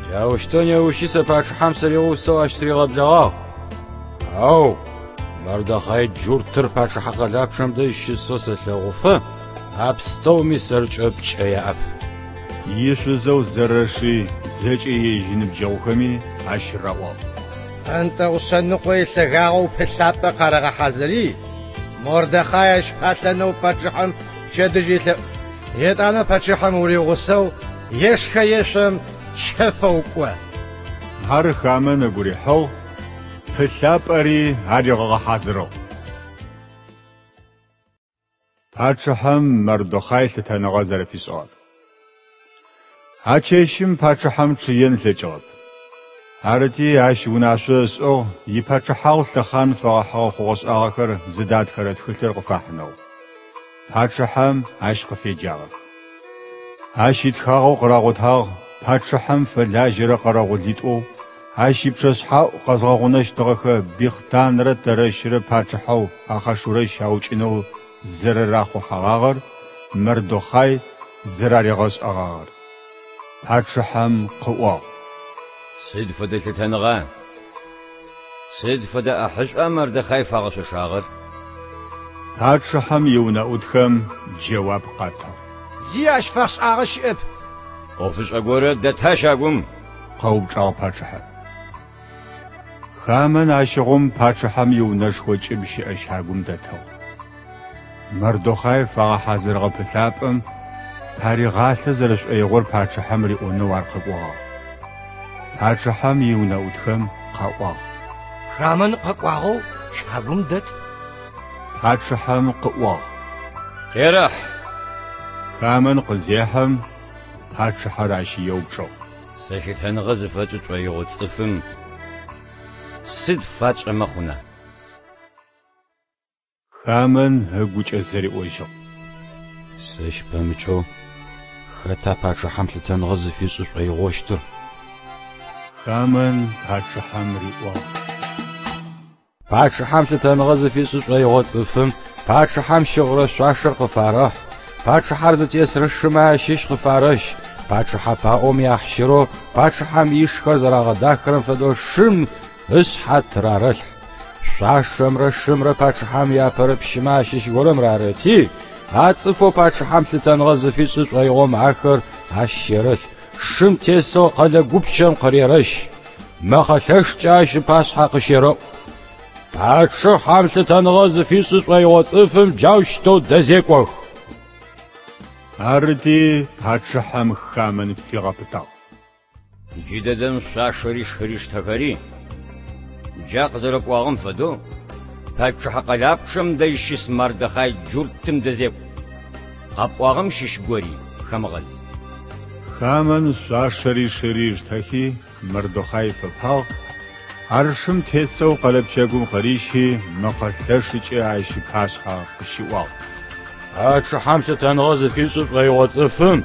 Джаущтэу неущи сэ пачъыхьэм сыригъусэу ащ сыригъэблэгъагъ. Ау Мардохъай джуртыр пачъыхьэ къэлапчъэм дэжь щысэу сэлъэгъуфэ, а пстэуми сэркӏэ пкӏэ яӏэп. Ишъузэу Зэрэши зэкӏэ ежь иныбджэгъухэми ащ раӏуагъ. Ӏэнтэгъу шъэныкъо илъэгагъэу пылъапӏэ къарэгъэхьазыри, Мордехай ащ палъэнэу пачъыхьэм пчэдыжь елъэӏу. Етӏанэ пачъыхьэм уригъусэу ешхэ-ешъом чэфэу кӏо. Ар Хамэн ыгу рихьыгъ, пылъапӏэри аригъэгъэхьазырыгъ. Пачъыхьэм Мардохъай лъытэныгъэ зэрэфишӏыгъэр. А чэщым пачъыхьэм чъыен ылъэкӏыгъэп. Арыти, ащ унашъо ышӏыгъ ипачъыхьагъу лъэхъан фэгъэхьыгъэ хъугъэ-шӏагъэхэр зыдатхэрэ тхылъыр къыфахьынэу. Пачъыхьэм ащ къыфеджагъэх. Ащ итхагъэу къырагъотагъ пачъыхьэм фэлажьэрэ къэрэгъулитӏоу ащ ипчъэшъхьаӏу къэзгъэгъунэщтыгъэхэ Бигътанрэ Тэрэщрэ пачъыхьэу Ахъашурэщ аукӏынэу зэрэрахъухьэгъагъэр Мардохъай зэраригъэшӏэгъагъэр. Пачъыхьэм къыӏуагъ. Сыд фэдэ лъытэныгъа, сыд фэдэ ӏахьышӏуа Мардохъай фагъэшъошагъэр? Пачъыхьэм иунэӏутхэм джэуап къатыгъ. Зи ащ фашӏагъэ щыӏэп. ӏофышӏэ горэ дэта щагум? Къэупчӏагъ пачъыхьэр. Хамэн ащыгъум пачъыхьэм иунэшхо кӏыб щыӏэ щагум дэтыгъ. Мардохъай фагъэхьазырыгъэ пылъапӏэм паригъалъэ зэрэшӏоигъор пачъыхьэм риӏонэу ар къэкӏогъагъ. Пачъыхьэм иунэӏутхэм къаӏуагъ. Хамэн къэкӏуагъэу щагум дэт. Пачъыхьэм къыӏуагъ. Къерэхь! Хамэн къызехьэм, пачъыхьэр ащ еупчӏыгъ. Сэ лъытэныгъэ зыфэтшӏы тшӏоигъо цӏыфым сыд фатшӏэмэ хъуна? Хамэн ыгукӏэ зэриӏожьыгъ. Сэщ пэмыкӏэу хэта пачъыхьэм лъытэныгъэ зыфишӏы шӏоигъощтыр? Хамэн пачъыхьэм риӏуагъ. Пачъыхьэм лъытэныгъэ зыфишӏы шӏоигъо цӏыфым пачъыхьэм щыгъырэ шъуашэр къыфарэхь, пачъыхьэр зытесырэ шымэ ащыщ къыфарэщ, пачъыхьэ паӏом яхьщырэу пачъыхьэм ишхэр зэрагъэдахэрэм фэдэу шым ышъхьэ тырарэлъхь. Шъуашэмрэ шымрэ пачъыхьэм иапэрэ пщымэ ащыщ горэм рарэти, а цӏыфэу пачъыхьэм лъытэныгъэ зыфишӏы шӏоигъом ахэр ащ щерэлъ, шым тесэу къэлэ гупчэм къырерэщ, мэкъэ лъэшкӏэ ащ ыпашъхьэ къыщерэӏу. Пачъыхьэм лъытэныгъэ зыфишӏы шӏоигъо цӏыфым джаущтэу дэзекӏох. Арыти, пачъыхьэм Хамэн фигъэпытагъ. Джыдэдэм шъуашэри шыри штэхэри, джа къызэрэпӏуагъэм фэдэу, пачъыхьэ къэлапчъэм дэжь щыс Мардохъай джуртым дэзекӏу. Къэпӏуагъэм щыщ гори хэмыгъэз. Хамэн шъуашэри шыри ыштэхи, Мардохъай ыфэпагъ, ар шым тесэу къэлэ пчэгум къырищи, мэкъэ лъэшыкӏэ ащ ыпашъхьэ къыщиӏуагъ. Пачъыхьэм лъытэныгъэ зыфишӏы шӏоигъо цӏыфым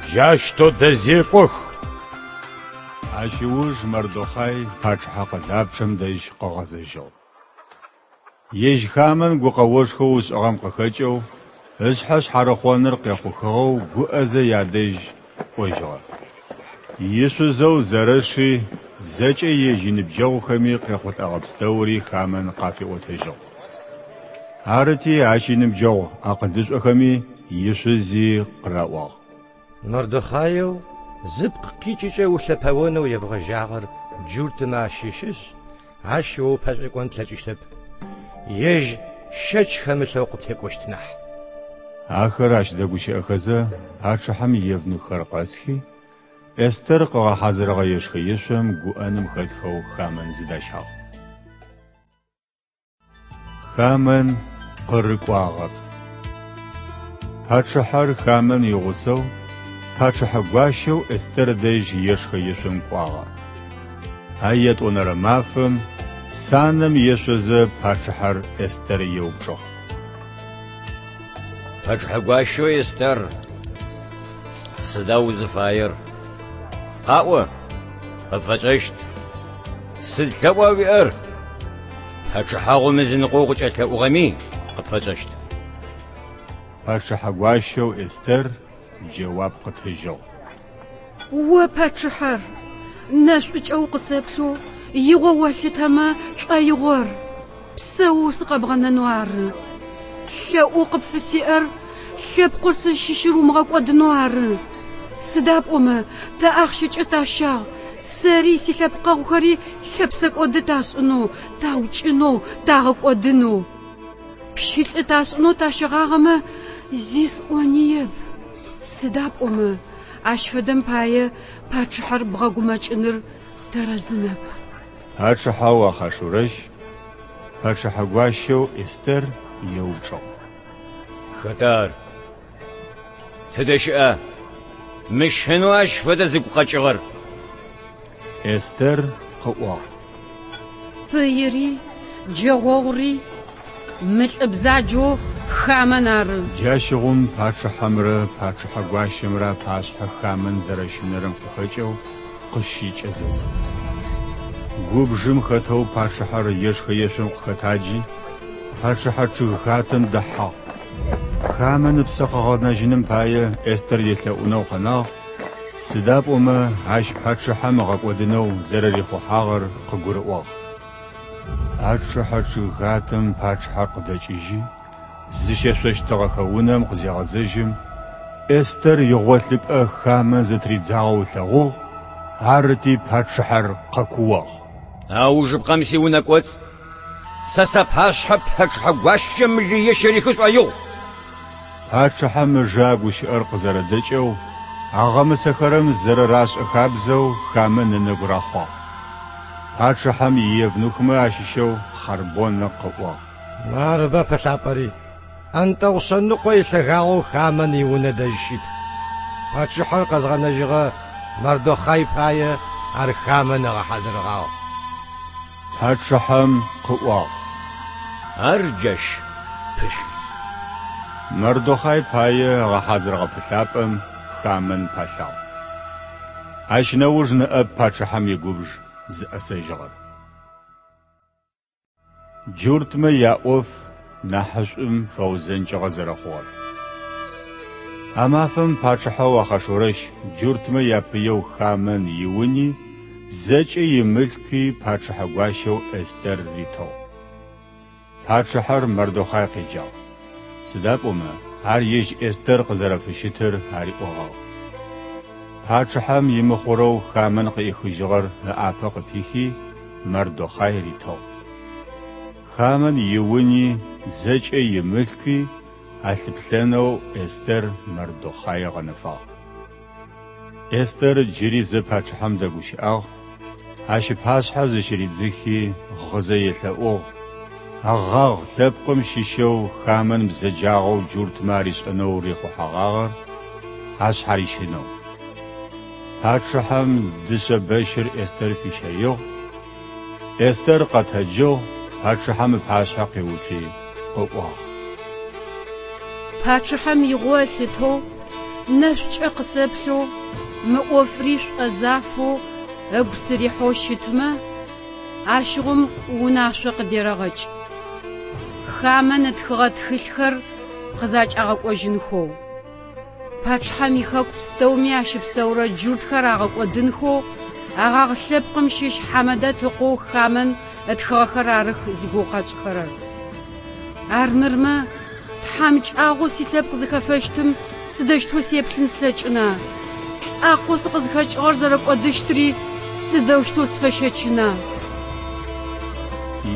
джаущтэу дэзекӏох. Ащ ыуж Мардохъай пачъыхьэ къэлапчъэм дэжь къыгъэзэжьыгъ. Ежь Хамэн гукъэошхоу ышӏыгъэм къыхэкӏэу, ышъхьэ шъхьарыхъоныр къехъухыгъэу гуӏэзэ ядэжь кӏожьыгъэ. Ишъузэу Зэрэши зэкӏэ ежь иныбджэгъухэми къехъулӏэгъэ пстэури Хамэн къафиӏотэжьыгъ. Арыти, ащ иныбджэгъу акъылышӏохэми ишъузи къыраӏуагъ. Мардохъаеу зыпкъ къикӏыкӏэ улъэпэонэу ебгъэжьагъэр джуртмэ ащыщышъ, ащ о упэшӏуекӏон плъэкӏыщтэп, ежь щэч хэмылъэу къыптекӏощт нахь. Ахэр ащ дэгущыӏэхэзэ, пачъыхьэм иевнуххэр къэсхи, Эстэр къыгъэхьазырыгъэ ешхэ-ешъом гуӏэным хэтхэу Хамэн зыдащагъ. Хамэн къырыкӏуагъэп. Пачъыхьэр Хамэн игъусэу пачъыхьэ гуащэу Эстэр дэжь ешхэ-ешъом кӏуагъэ. А ятӏонэрэ мафэм санэм ешъозэ пачъыхьэр Эстэр еупчӏыгъ. Пачъыхьэ гуащэу Эстэр, сыда узыфаер? Къаӏо, къыпфэтшӏэщт. Сыд лъэӏуа уиӏэр? Пачъыхьагъум ызыныкъо укъыкӏэлъэӏугъэми, къыпфэтшӏэщт. Пачъыхьэ гуащэу Эстэр джэуап къытыжьыгъ. О пачъыхьэр, нэшӏукӏэ укъысэплъэу игъо олъытэмэ пшӏоигъор, псэоу сыкъэбгъэнэнэу ары. Лъэӏоу къыпфысиӏэр лъэпкъэу сызщыщыр умыгъэкӏодынэу ары. Сыда пӏомэ тэ ахъщэкӏэ тащагъ, сэри силъэпкъэгъухэри лъэпсэкӏоды ташӏынэу, таукӏынэу, тагъэкӏодынэу. Пщылӏы ташӏынэу тащэгъагъэмэ, зи сӏониеп. Сыда пӏомэ ащ фэдэм пае пачъыхьэр бгъэгумэкӏыныр тэрэзынэп. Пачъыхьэу Ахъашурэщ пачъыхьэ гуащэу Эстэр еупчӏыгъ. Хэта ар? Тыдэ щыӏа? Мыщынэу ащ фэдэ зыгу къэкӏыгъэр? Эстэр къыӏуагъ. Пыири, джэгъогъури мы лӏы бзаджэу Хамэн ары. Джащыгъум пачъыхьэмрэ пачъыхьэ гуащэмрэ апашъхьэ Хамэн зэрэщынэрэм къыхэкӏэу къыщыкӏэзэзыгъ. Губжым хэтэу пачъыхьэр ешхэ-ешъом къыхэтаджи, пачъыхьэ чъыгхатэм дэхьагъ. Хамэн ыпсэ къыгъэнэжьыным пае Эстэр елъэӏунэу къэнагъ, сыда пӏомэ ащ пачъыхьэм ыгъэкӏодынэу зэрэрихъухьагъэр къыгурыӏуагъ. Пачъыхьэ чъыгхатэм пачъыхьэр къыдэкӏыжьи, зыщешъощтыгъэхэ унэм къызегъэзэжьым, Эстэр игъолъыпӏэ Хамэн зытыридзагъэу ылъэгъугъ, арыти пачъыхьэр къэкууагъ. Аужыпкъэм сиунэ кӏоцӏ сэ сапашъхьэ пачъыхьэ гуащэм лые щырихы шӏоигъу. Пачъыхьэм ыжэ а гущыӏэр къызэрэдэкӏэу, агъэмысэхэрэм зэрэрашӏэ хабзэу Хамэн ынэгу рахъуагъ. Пачъыхьэм иевнухмэ ащыщэу Хъарбонэ къыӏуагъ. Марыба пылъапӏэри, ӏэнтэгъу шъэныкъо илъэгагъэу Хамэн иунэ дэжь щыт. Пачъыхьэр къэзгъэнэжьыгъэ Мардохъай пае ар Хамэн ыгъэхьазырыгъагъ. Пачъыхьэм къыӏуагъ. Ар джащ пылъ. Мардохъай пае ыгъэхьазырыгъэ пылъапӏэм Хамэн палъагъ. Ащ нэуж ныӏэп пачъыхьэм игубж зыӏэсэжьыгъэр. Джуртмэ яӏоф нахьышӏум фэузэнкӏыгъэ зэрэхъугъэр. А мафэм пачъыхьэу Ахъашурэщ джуртмэ япыеу Хамэн иуни зэкӏэ имылъкуи пачъыхьэ гуащэу Эстэр ритыгъ. Пачъыхьэр Мардохъай къеджагъ, сыда пӏомэ ар ежь Эстэр къызэрэфыщытыр ариӏогъагъ. Пачъыхьэм имыхъурэу Хамэн къыӏихыжьыгъэр ыӏапэ къыпихи, Мардохъай ритыгъ. Хамэн иуни зэкӏэ имылъкуи алъыплъэнэу Эстэр Мардохъай ыгъэнэфагъ. Эстэр джыри зэ пачъыхьэм дэгущыӏагъ, ащ ыпашъхьэ зыщыридзыхи, гъызэ елъэӏугъ, Агъагъ лъэпкъым щыщэу Хамэн бзэджагъэу джуртмэ аришӏэнэу рихъухьэгъагъэр ашъхьарищынэу. Пачъыхьэм дышъэ бэщыр Эстэр фищэигъ. Эстэр къэтэджыгъ, пачъыхьэм ыпашъхьэ къиуцуи, къыӏуагъ. Пачъыхьэм игъо ылъытэу, нэшӏукӏэ къысэплъэу, мы ӏофри шӏозафэу ыгу сырихьэу щытмэ, ащыгъум унашъо къыдерэгъэкӏ. Хамэн ытхыгъэ тхылъхэр къызакӏагъэкӏожьынхэу. Пачъыхьэм ихэку пстэуми ащыпсэурэ джуртхэр агъэкӏодынхэу Агагъ лъэпкъым щыщ Хьамэдэт ыкъоу Хамэн ытхыгъэхэр арых зигугъу къэтшӏыхэрэр. Армырмэ, тхьамыкӏагъоу силъэпкъ зыхэфэщтым сыдэущтэу сеплъын слъэкӏына? Лӏакъоу сыкъызхэкӏыгъэр зэрэкӏодыщтри сыдэущтэу сфэщэчына?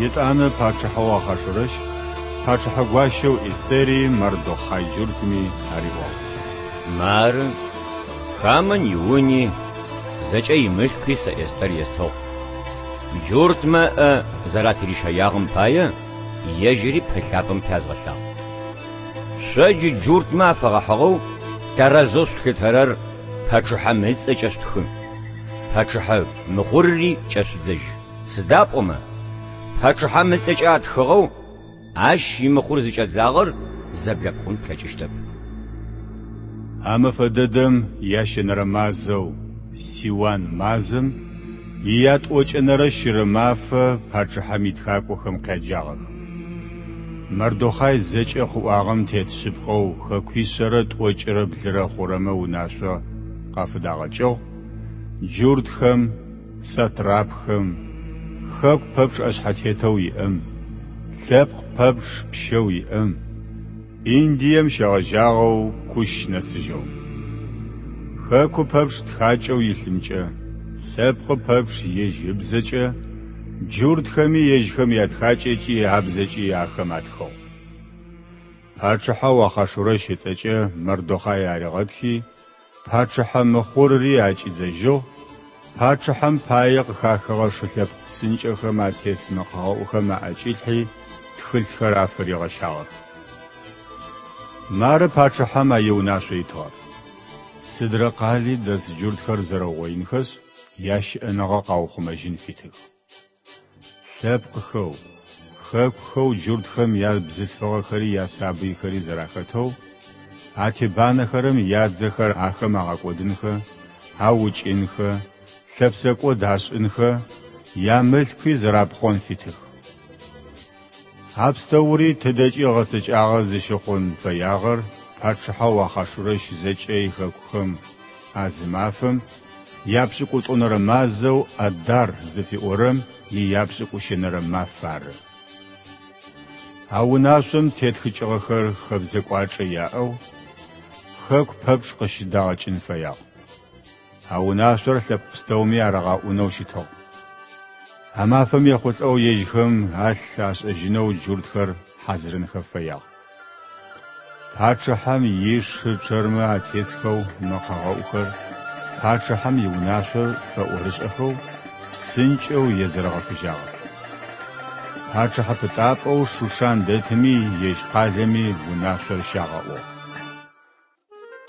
Етӏанэ пачъыхьэу Ахъашурэщ пачъыхьэ гуащэу Эстэри Мардохъай джуртми ариӏуагъ. Мары, Хамэн иуни, зэкӏэ имылъкуи сэ Эстэр естыгъ. Джуртмэ ыӏэ зэратырищэягъэм пае ежьыри пылъапӏэм пязгъэлъагъ. Шъо джы джуртмэ афэгъэхьыгъэу тэрэзэу шъулъытэрэр пачъыхьэм ыцӏэкӏэ шъутхы, пачъыхьэ мыхъурри кӏэшъудзэжь. Сыда пӏомэ, пачъыхьэм ыцӏэкӏэ атхыгъэу ащ имыхъур зыкӏэдзагъэр зэблэпхъун плъэкӏыщтэп. А мэфэ дэдэм ящэнэрэ мазэу, Сиуан мазэм, иятӏокӏэнэрэ щырэ мафэ пачъыхьэм итхакӏохэм къяджагъэх. Мардохъай зэкӏэ къыӏуагъэм тет шъыпкъэу хэкуишъэрэ тӏокӏырэ блырэ хъурэмэ унашъо къафыдагъэкӏыгъ, джуртхэм, сатрапхэм, хэку пэпчъ ӏэшъхьэтетэу иӏэм, лъэпкъ пэпчъ пщэу иӏэм, Индием щегъэжьагъэу Кущ нэсыжьэу. Хэку пэпчъ тхакӏэу илъымкӏэ, лъэпкъы пэпчъ ежь ыбзэкӏэ, джуртхэми ежьхэм ятхакӏэкӏи абзэкӏи ахэм атхыгъ. Пачъыхьэу Ахъашурэщ ыцӏэкӏэ Мардохъай аригъэтхи, пачъыхьэ мыхъурри акӏидзэжьыгъ, пачъыхьэм пае къыхахыгъэ шы лъэпкъ псынкӏэхэм атес мэкъэгъэӏухэм аӏэкӏилъхьи, тхылъхэр афыригъэщагъэх. Мары пачъыхьэм а иунашъо итыгъэр. Сыдрэ къали дэс джуртхэр зэрэугъоинхэшъ, ящыӏэныгъэ къаухъумэжьын фитых. Лъэпкъхэу, хэкухэу джуртхэм ябзылъфыгъэхэри ясабыйхэри зэрахэтэу, атебанэхэрэм ядзэхэр ахэм агъэкӏодынхэ, аукӏынхэ, лъэпсэкӏод ашӏынхэ, ямылъкуи зэрапхъон фитых. А пстэури тыдэкӏи гъэцэкӏагъэ зыщыхъун фэягъэр пачъыхьэу Ахъашурэщ зэкӏэ ихэкухэм а зы мафэм, япшӏыкӏутӏонэрэ мазэу Адар зыфиӏорэм ияпшӏыкӏущэнэрэ маф ары. А унашъом тетхыкӏыгъэхэр хэбзэ кӏуачӏэ яӏэу хэку пэпчъ къыщыдагъэкӏын фэягъ. А унашъор лъэпкъ пстэуми арагъэӏунэу щытыгъ. А мафэм ехъулӏэу ежьхэм алъ ашӏэжьынэу джуртхэр хьазырынхэ фэягъ. Пачъыхьэм ишы чъэрмэ атесхэу мэкъэгъэӏухэр пачъыхьэм иунашъо фэӏорышӏэхэу псынкӏэу езэрэгъэфыжьагъэх. Пачъыхьэ пытапӏэу Шушан дэтыми ежь къалэми унашъор щагъэӏугъ.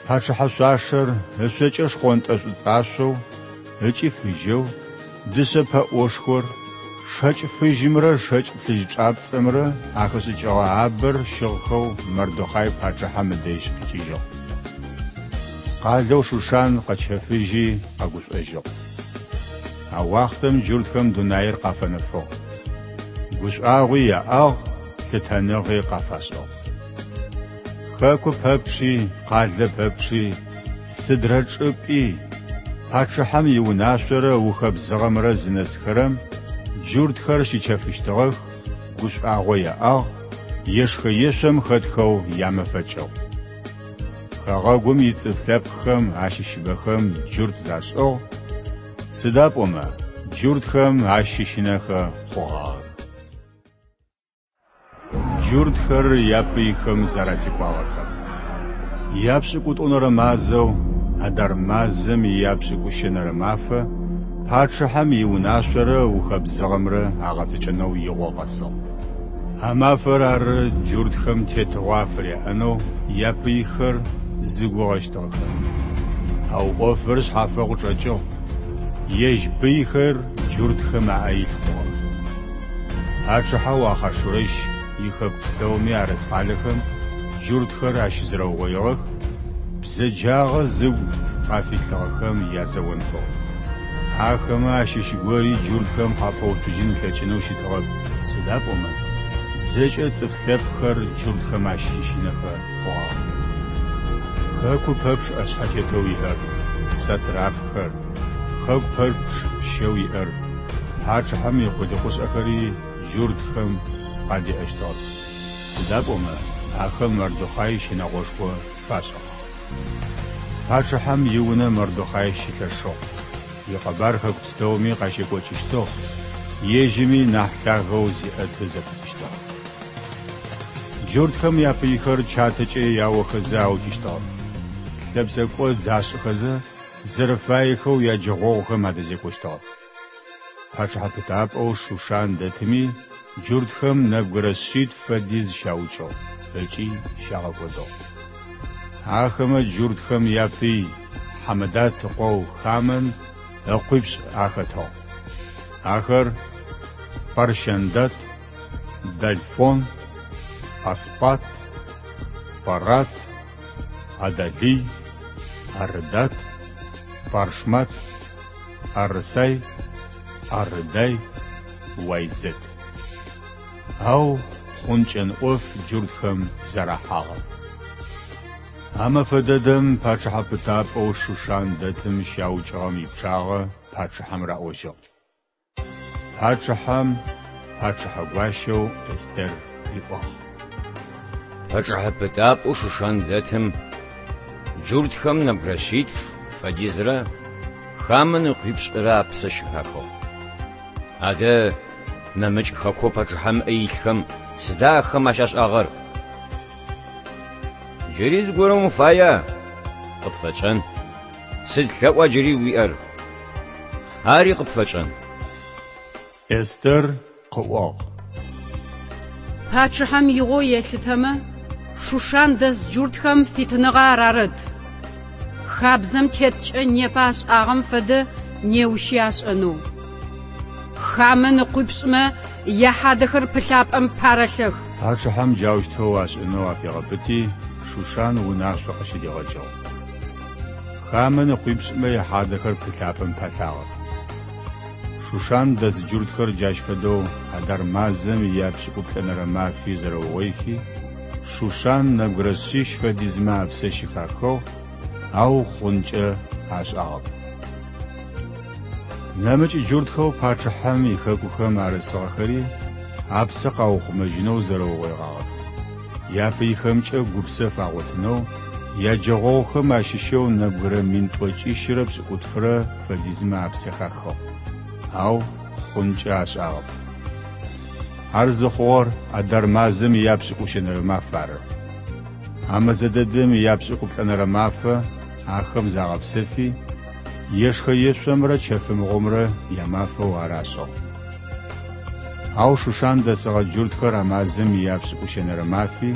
Пачъыхьэ шъуашэр ышъокӏэ шхъонтӏэ шӏуцӏашъоу ыкӏи фыжьэу, дышъэ пэӏошхор, шэкӏ фыжьымрэ шэкӏ плъыжь чӏапцӏэмрэ ахэшӏыкӏыгъэ абэр щыгъхэу Мардохъай пачъыхьэм ыдэжь къикӏыжьыгъ. Къалэу Шушан къэчэфыжьи къэгушӏожьыгъ. А уахътэм джуртхэм дунаир къафэнэфыгъ. Гушӏуагъуи яӏагъ, лъытэныгъи къафашӏыгъ. Хэку пэпчъи, къалэ пэпчъи, сыдрэ чӏыпӏи, пачъыхьэм иунашъорэ ыухэбзыгъэмрэ зынэсхэрэм джуртхэр щычэфыщтыгъэх, гушӏуагъо яӏагъ, ешхэ-ешъом хэтхэу ямэфэкӏыгъ. Хэгъэгум ицӏыф лъэпкъхэм ащыщыбэхэм джурт зашӏыгъ, сыда пӏомэ джуртхэм ащыщынэхэ хъугъагъэх. Джуртхэр япыйхэм зэратекӏуагъэхэр. Япшӏыкӏутӏонэрэ мазэу, Адар мазэм ияпшӏыкӏущэнэрэ мафэ, пачъыхьэм иунашъорэ ыухэбзыгъэмрэ агъэцэкӏэнэу игъо къэсыгъ. А мафэр ары джуртхэм тетыгъо афыряӏэнэу япыйхэр зыгугъэщтыгъэхэр. Ау ӏофыр шъхьафэу къычӏэкӏыгъ, ежь пыйхэр джуртхэм аӏэ илъ хъугъэх. Пачъыхьэу Ахъашурэщ ихэку пстэуми арыт къалэхэм джуртхэр ащызэрэугъоигъэх, бзэджагъэ зыгу къафилъыгъэхэм язэонхэу. Ахэмэ ащыщ гори джуртхэм къапэуцужьын ылъэкӏынэу щытыгъэп, сыда пӏомэ зэкӏэ цӏыф лъэпкъхэр джуртхэм ащыщынэхэ хъугъагъэ. Хэку пэпчъ ӏэшъхьэтетэу иӏэр, сатрапхэр, хэку пэпчъ пщэу иӏэр, пачъыхьэм икъулыкъушӏэхэри джуртхэм къадеӏэщтыгъэх, сыда пӏомэ ахэм Мардохъай щынэгъошхо фашӏыгъагъ. Пачъыхьэм иунэ Мардохъай щылъэшыгъ, икъэбар хэку пстэуми къащекӏокӏыщтыгъ, ежьыми нахь лъагэу зиӏэты зэпытыщтыгъ. Джуртхэм япыйхэр чатэкӏэ яохэзэ аукӏыщтыгъэх, лъэпсэкӏод ашӏыхэзэ, зэрэфаехэу яджэгъогъухэм адэзекӏощтыгъэх. Пачъыхьэ пытапӏэу Шушан дэтыми джуртхэм нэбгырэ шъитф фэдиз щаукӏыгъ ыкӏи щагъэкӏодыгъ. Ахэмэ джуртхэм япый Хьамэдат ыкъоу Хамэн ыкъуипшӏ ахэтыгъ. Ахэр, Парщандат, Далфон, Аспат, Парат, Адалый, Арыдат, Паршмат, Арысай, Арыдай, Вайзет. Ау хъункӏэн ӏоф джуртхэм зэрахьагъэп. А мэфэ дэдэм пачъыхьэ пытапӏэу Шушан дэтым щаукӏыгъэм ипчъагъэ пачъыхьэм раӏожьыгъ. Пачъыхьэм пачъыхьэ гуащэу Эстер риӏуагъ. Пачъыхьэ пытапӏэу Шушан дэтым джуртхэм нэбгырэ шъитф фэдизрэ Хамэн ыкъуипшӏырэ апсэ щыхахыгъ. Адэ нэмыкӏ хэкоу пачъыхьэм ыӏэ илъхэм сыда ахэм ащашӏагъэр? Джыри зыгорэм уфая? Къыпфэтшӏэн. Сыд лъэӏуа джыри уиӏэр? Ари къыпфэтшӏэн. Эстер къыӏуагъ. Пачъыхьэм игъоу елъытэмэ, Шушан дэс джуртхэм фитыныгъэ арарэт. Хабзэм теткӏэ непэ ашӏагъэм фэдэ неущи ашӏэнэу. Хамэн ыкъуипшӏмэ яхьадэхэр пылъапӏэм парэлъэх. Пачъыхьэм джаущтэу ашӏынэу афигъэпыти, Шушан унашъо къыщыдигъэкӏыгъ. Хамэн ыкъуипшӏмэ яхьадэхэр пылъапӏэм палъагъэх. Шушан дэс джуртхэр джащ фэдэу Адар мазэм ияпшӏыкӏуплӏэнэрэ мафи зэрэугъоихи, Шушан нэбгырэ шъищ фэдизмэ апсэ щыхахыгъ, ау хъункӏэ ашӏагъэп. Нэмыкӏ джуртхэу пачъыхьэм ихэкухэм арысыгъэхэри апсэ къаухъумэжьынэу зэрэугъоигъагъэх. Япыйхэмкӏэ гупсэф агъотынэу яджэгъогъухэм ащыщэу нэбгырэ 1770 фэдизмэ апсэ хахыгъ, ау хъункӏэ ашӏагъэп. Ар зыхъугъэр Адар мазэм ияпшӏыкӏущэнэрэ маф ары. А мэзэ дэдэм ияпшӏыкӏуплӏэнэрэ мафэ ахэм загъэпсэфи, ешхэ-ешъомрэ чэфымыгъомрэ ямафэу ар ашӏыгъ. Ау Шушан дэсыгъэ джуртхэр а мазэм ияпшӏыкӏущэнэрэ мафи,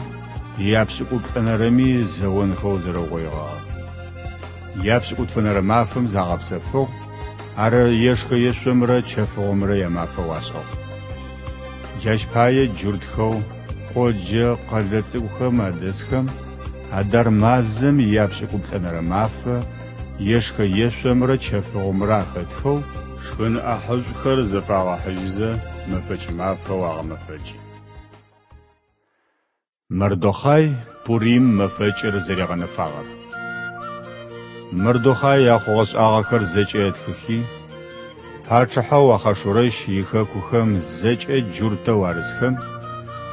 ияпшӏыкӏуплӏэнэрэми зэонхэу зэрэугъоигъагъэх. Япшӏыкӏутфэнэрэ мафэм загъэпсэфыгъ, ар ешхэ-ешъомрэ чэфыгъомрэ ямафэу ашӏыгъ. Джащ пае джуртхэу къоджэ къэлэ цӏыкӏухэм адэсхэм Адар мазэм ияпшӏыкӏуплӏэнэрэ мафэ ешхэ-ешъомрэ чэфыгъомрэ ахэтхэу шхын ӏахьышӏухэр зэфагъэхьыжьызэ мэфэкӏ мафэу агъэмэфэкӏы. Мардохъай Пурим мэфэкӏыр зэригъэнэфагъэр. Мардохъай а хъугъэ-шӏагъэхэр зэкӏэ ытхыхи, пачъыхьэу Ахъашурэщ ихэкухэм зэкӏэ джуртэу арысхэм,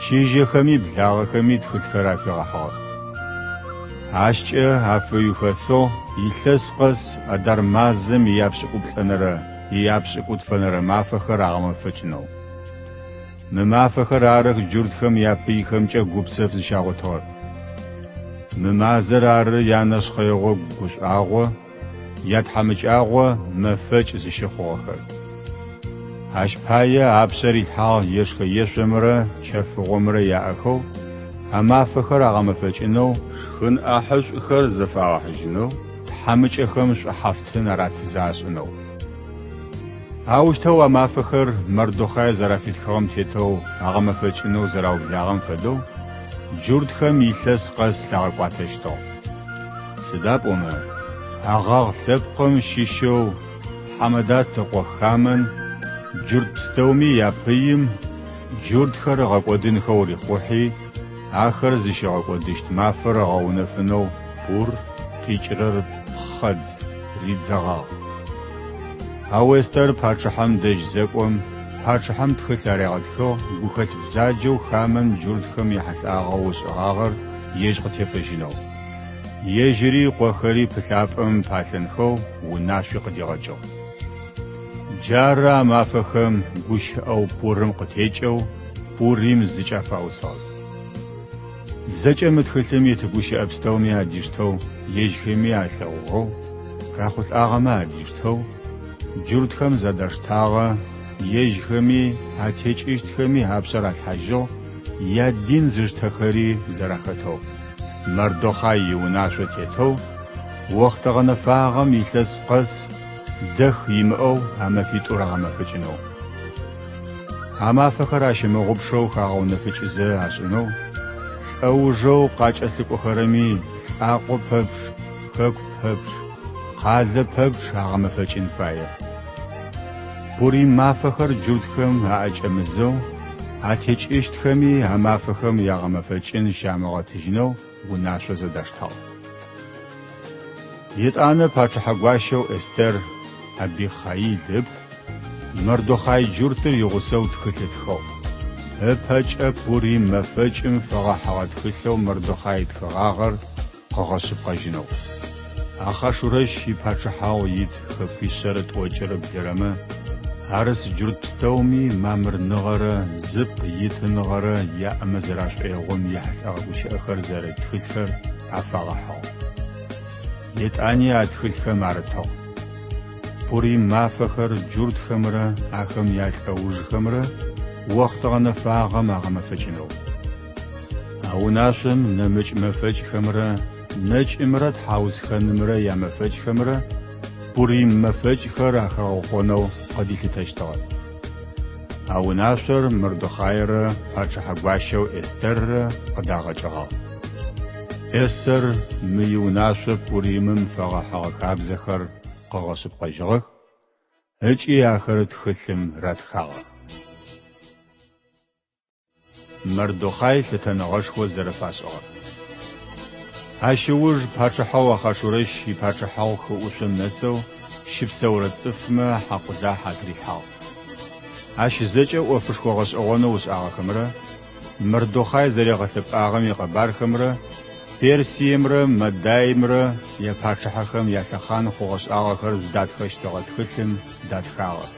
чыжьэхэми благъэхэми тхылъхэр афигъэхьыгъэх. Ащкӏэ афыухэсыгъ илъэс къэс Адар мазэм ияпшӏыкӏуплӏэнэрэ ияпшӏыкӏутфэнэрэ мафэхэр агъэмэфэкӏынэу. Мы мафэхэр арых джуртхэм япыйхэмкӏэ гупсэф зыщагъотыгъэр. Мы мазэр ары янэшхъэигъо гушӏуагъо, ятхьамыкӏагъо мэфэкӏ зыщыхъугъэхэр. Ащ пае апшъэ рилъхьагъ ешхэ-ешъомрэ чэфыгъомрэ яӏэхэу а мафэхэр агъэмэфэкӏынэу, шхын ӏахьышӏухэр зэфагъэхьыжьынэу, тхьамыкӏэхэм шӏухьафтын аратызэ ашӏынэу. Аущтэу а мафэхэр Мардохъай зэрафитхыгъэм тетэу агъэмэфэкӏынэу зэраублагъэм фэдэу джуртхэм илъэс къэс лъагъэкӏуатэщтыгъ. Сыда пӏомэ Агъагъ лъэпкъым щыщэу Хьамэдат ыкъо Хамэн джурт пстэуми япыим джуртхэр ыгъэкӏодынхэу рихъухьи, ахэр зыщигъэкӏодыщт мафэр ыгъэунэфынэу пур къикӏырэр пхъэдз, ридзэгъагъ. Ау Эстэр пачъыхьэм дэжь зэкӏом, пачъыхьэм тхылъ аригъэтхыгъ гухэлъ бзаджэу Хамэн джуртхэм яхьылӏагъэу ышӏыгъагъэр ежь къытефэжьынэу. Ежьыри ыкъохэри пылъапӏэм палъэнхэу унашъуи къыдигъэкӏыгъ. Джары а мафэхэм гущыӏэу Пурым къытекӏэу Пурим зыкӏафаусыгъэр. Зэкӏэ мы тхылъым ит гущыӏэ пстэуми адиштэу ежьхэми алъэгъугъэу, къяхъулӏагъэмэ адиштэу, джуртхэм зэдаштагъэ, ежьхэми, атекӏыщтхэми апшъэ ралъхьажьыгъ, ядин зыштэхэри зэрахэтэу. Мардохъай иунашъо тетэу, охътэ гъэнэфагъэм илъэс къэс дэх имыӏэу а мэфитӏур агъэмэфэкӏынэу. А мафэхэр ащымыгъупшэу хагъэунэфыкӏызэ ашӏынэу, лӏэужэу къакӏэлъыкӏохэрэми лӏакъо пэпчъ, хэку пэпчъ, къалэ пэпчъ агъэмэфэкӏын фае. Пурим мафэхэр джуртхэм аӏэкӏэмызэу, атекӏыщтхэми а мафэхэм ягъэмэфэкӏын щамыгъэтыжьынэу унашъо зэдаштагъ. Етӏанэ пачъыхьэ гуащэу Эстэр, Абихъаил ыпхъу, Мардохъай джуртыр игъусэу тхылъ ытхыгъ. Ыпэкӏэ Пурим мэфэкӏым фэгъэхьыгъэ тхылъэу Мардохъай ытхыгъагъэр къыгъэшъыпкъэжьынэу. Ахъашурэщ ипачъыхьагъу ит хэкуишъэрэ тӏокӏырэ блырэмэ арыс джурт пстэуми мамырныгъэрэ зыпкъ итыныгъэрэ яӏэмэ зэрашӏоигъом ехьылӏэгъэ гущыӏэхэр зэрыт тхылъхэр афагъэхьыгъ. Етӏани а тхылъхэм арытыгъ. Пурим мафэхэр джуртхэмрэ ахэм ялӏэужхэмрэ охътэ гъэнэфагъэм агъэмэфэкӏынэу. А унашъом нэмыкӏ мэфэкӏхэмрэ нэкӏымрэ тхьаусхэнымрэ ямэфэкӏхэмрэ Пурим мэфэкӏхэр ахагъэхъонэу къыдилъытэщтыгъэ. А унашъор Мардохъайрэ пачъыхьэ гуащэу Эстэррэ къыдагъэкӏыгъагъ. Эстэр мы иунашъо Пуримым фэгъэхьыгъэ хабзэхэр къыгъэшъыпкъэжьыгъэх ыкӏи ахэр тхылъым ратхагъэх. Мардохъай лъытэныгъэшхо зэрэфашӏыгъэр. Ащ ыуж пачъыхьэу Ахъашурэщ ипачъыхьагъу хы ӏушъом нэсэу щыпсэурэ цӏыфмэ хьакъулахь атырилъхьагъ. Ащ зэкӏэ ӏофышхо гъэшӏэгъонэу ышӏагъэхэмрэ Мардохъай зэригъэлъэпӏагъэм икъэбархэмрэ Персиемрэ Мадаймрэ япачъыхьэхэм ялъэхъан хъугъэ-шӏагъэхэр зыдатхэщтыгъэ тхылъым датхагъэх.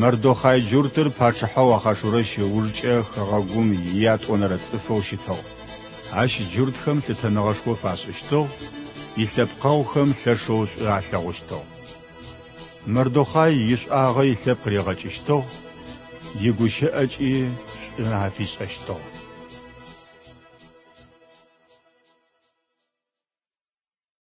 Мардохъай джуртыр пачъыхьэу Ахъашурэщ ыужкӏэ хэгъэгум иятӏонэрэ цӏыфэу щытыгъ. Ащ джуртхэм лъытэныгъэшхо фашӏыщтыгъ, илъэпкъэгъухэм лъэшэу шӏу алъэгъущтыгъ. Мардохъай ишӏуагъэ илъэпкъ ригъэкӏыщтыгъ, игущыӏэкӏи шӏу афишӏэщтыгъ.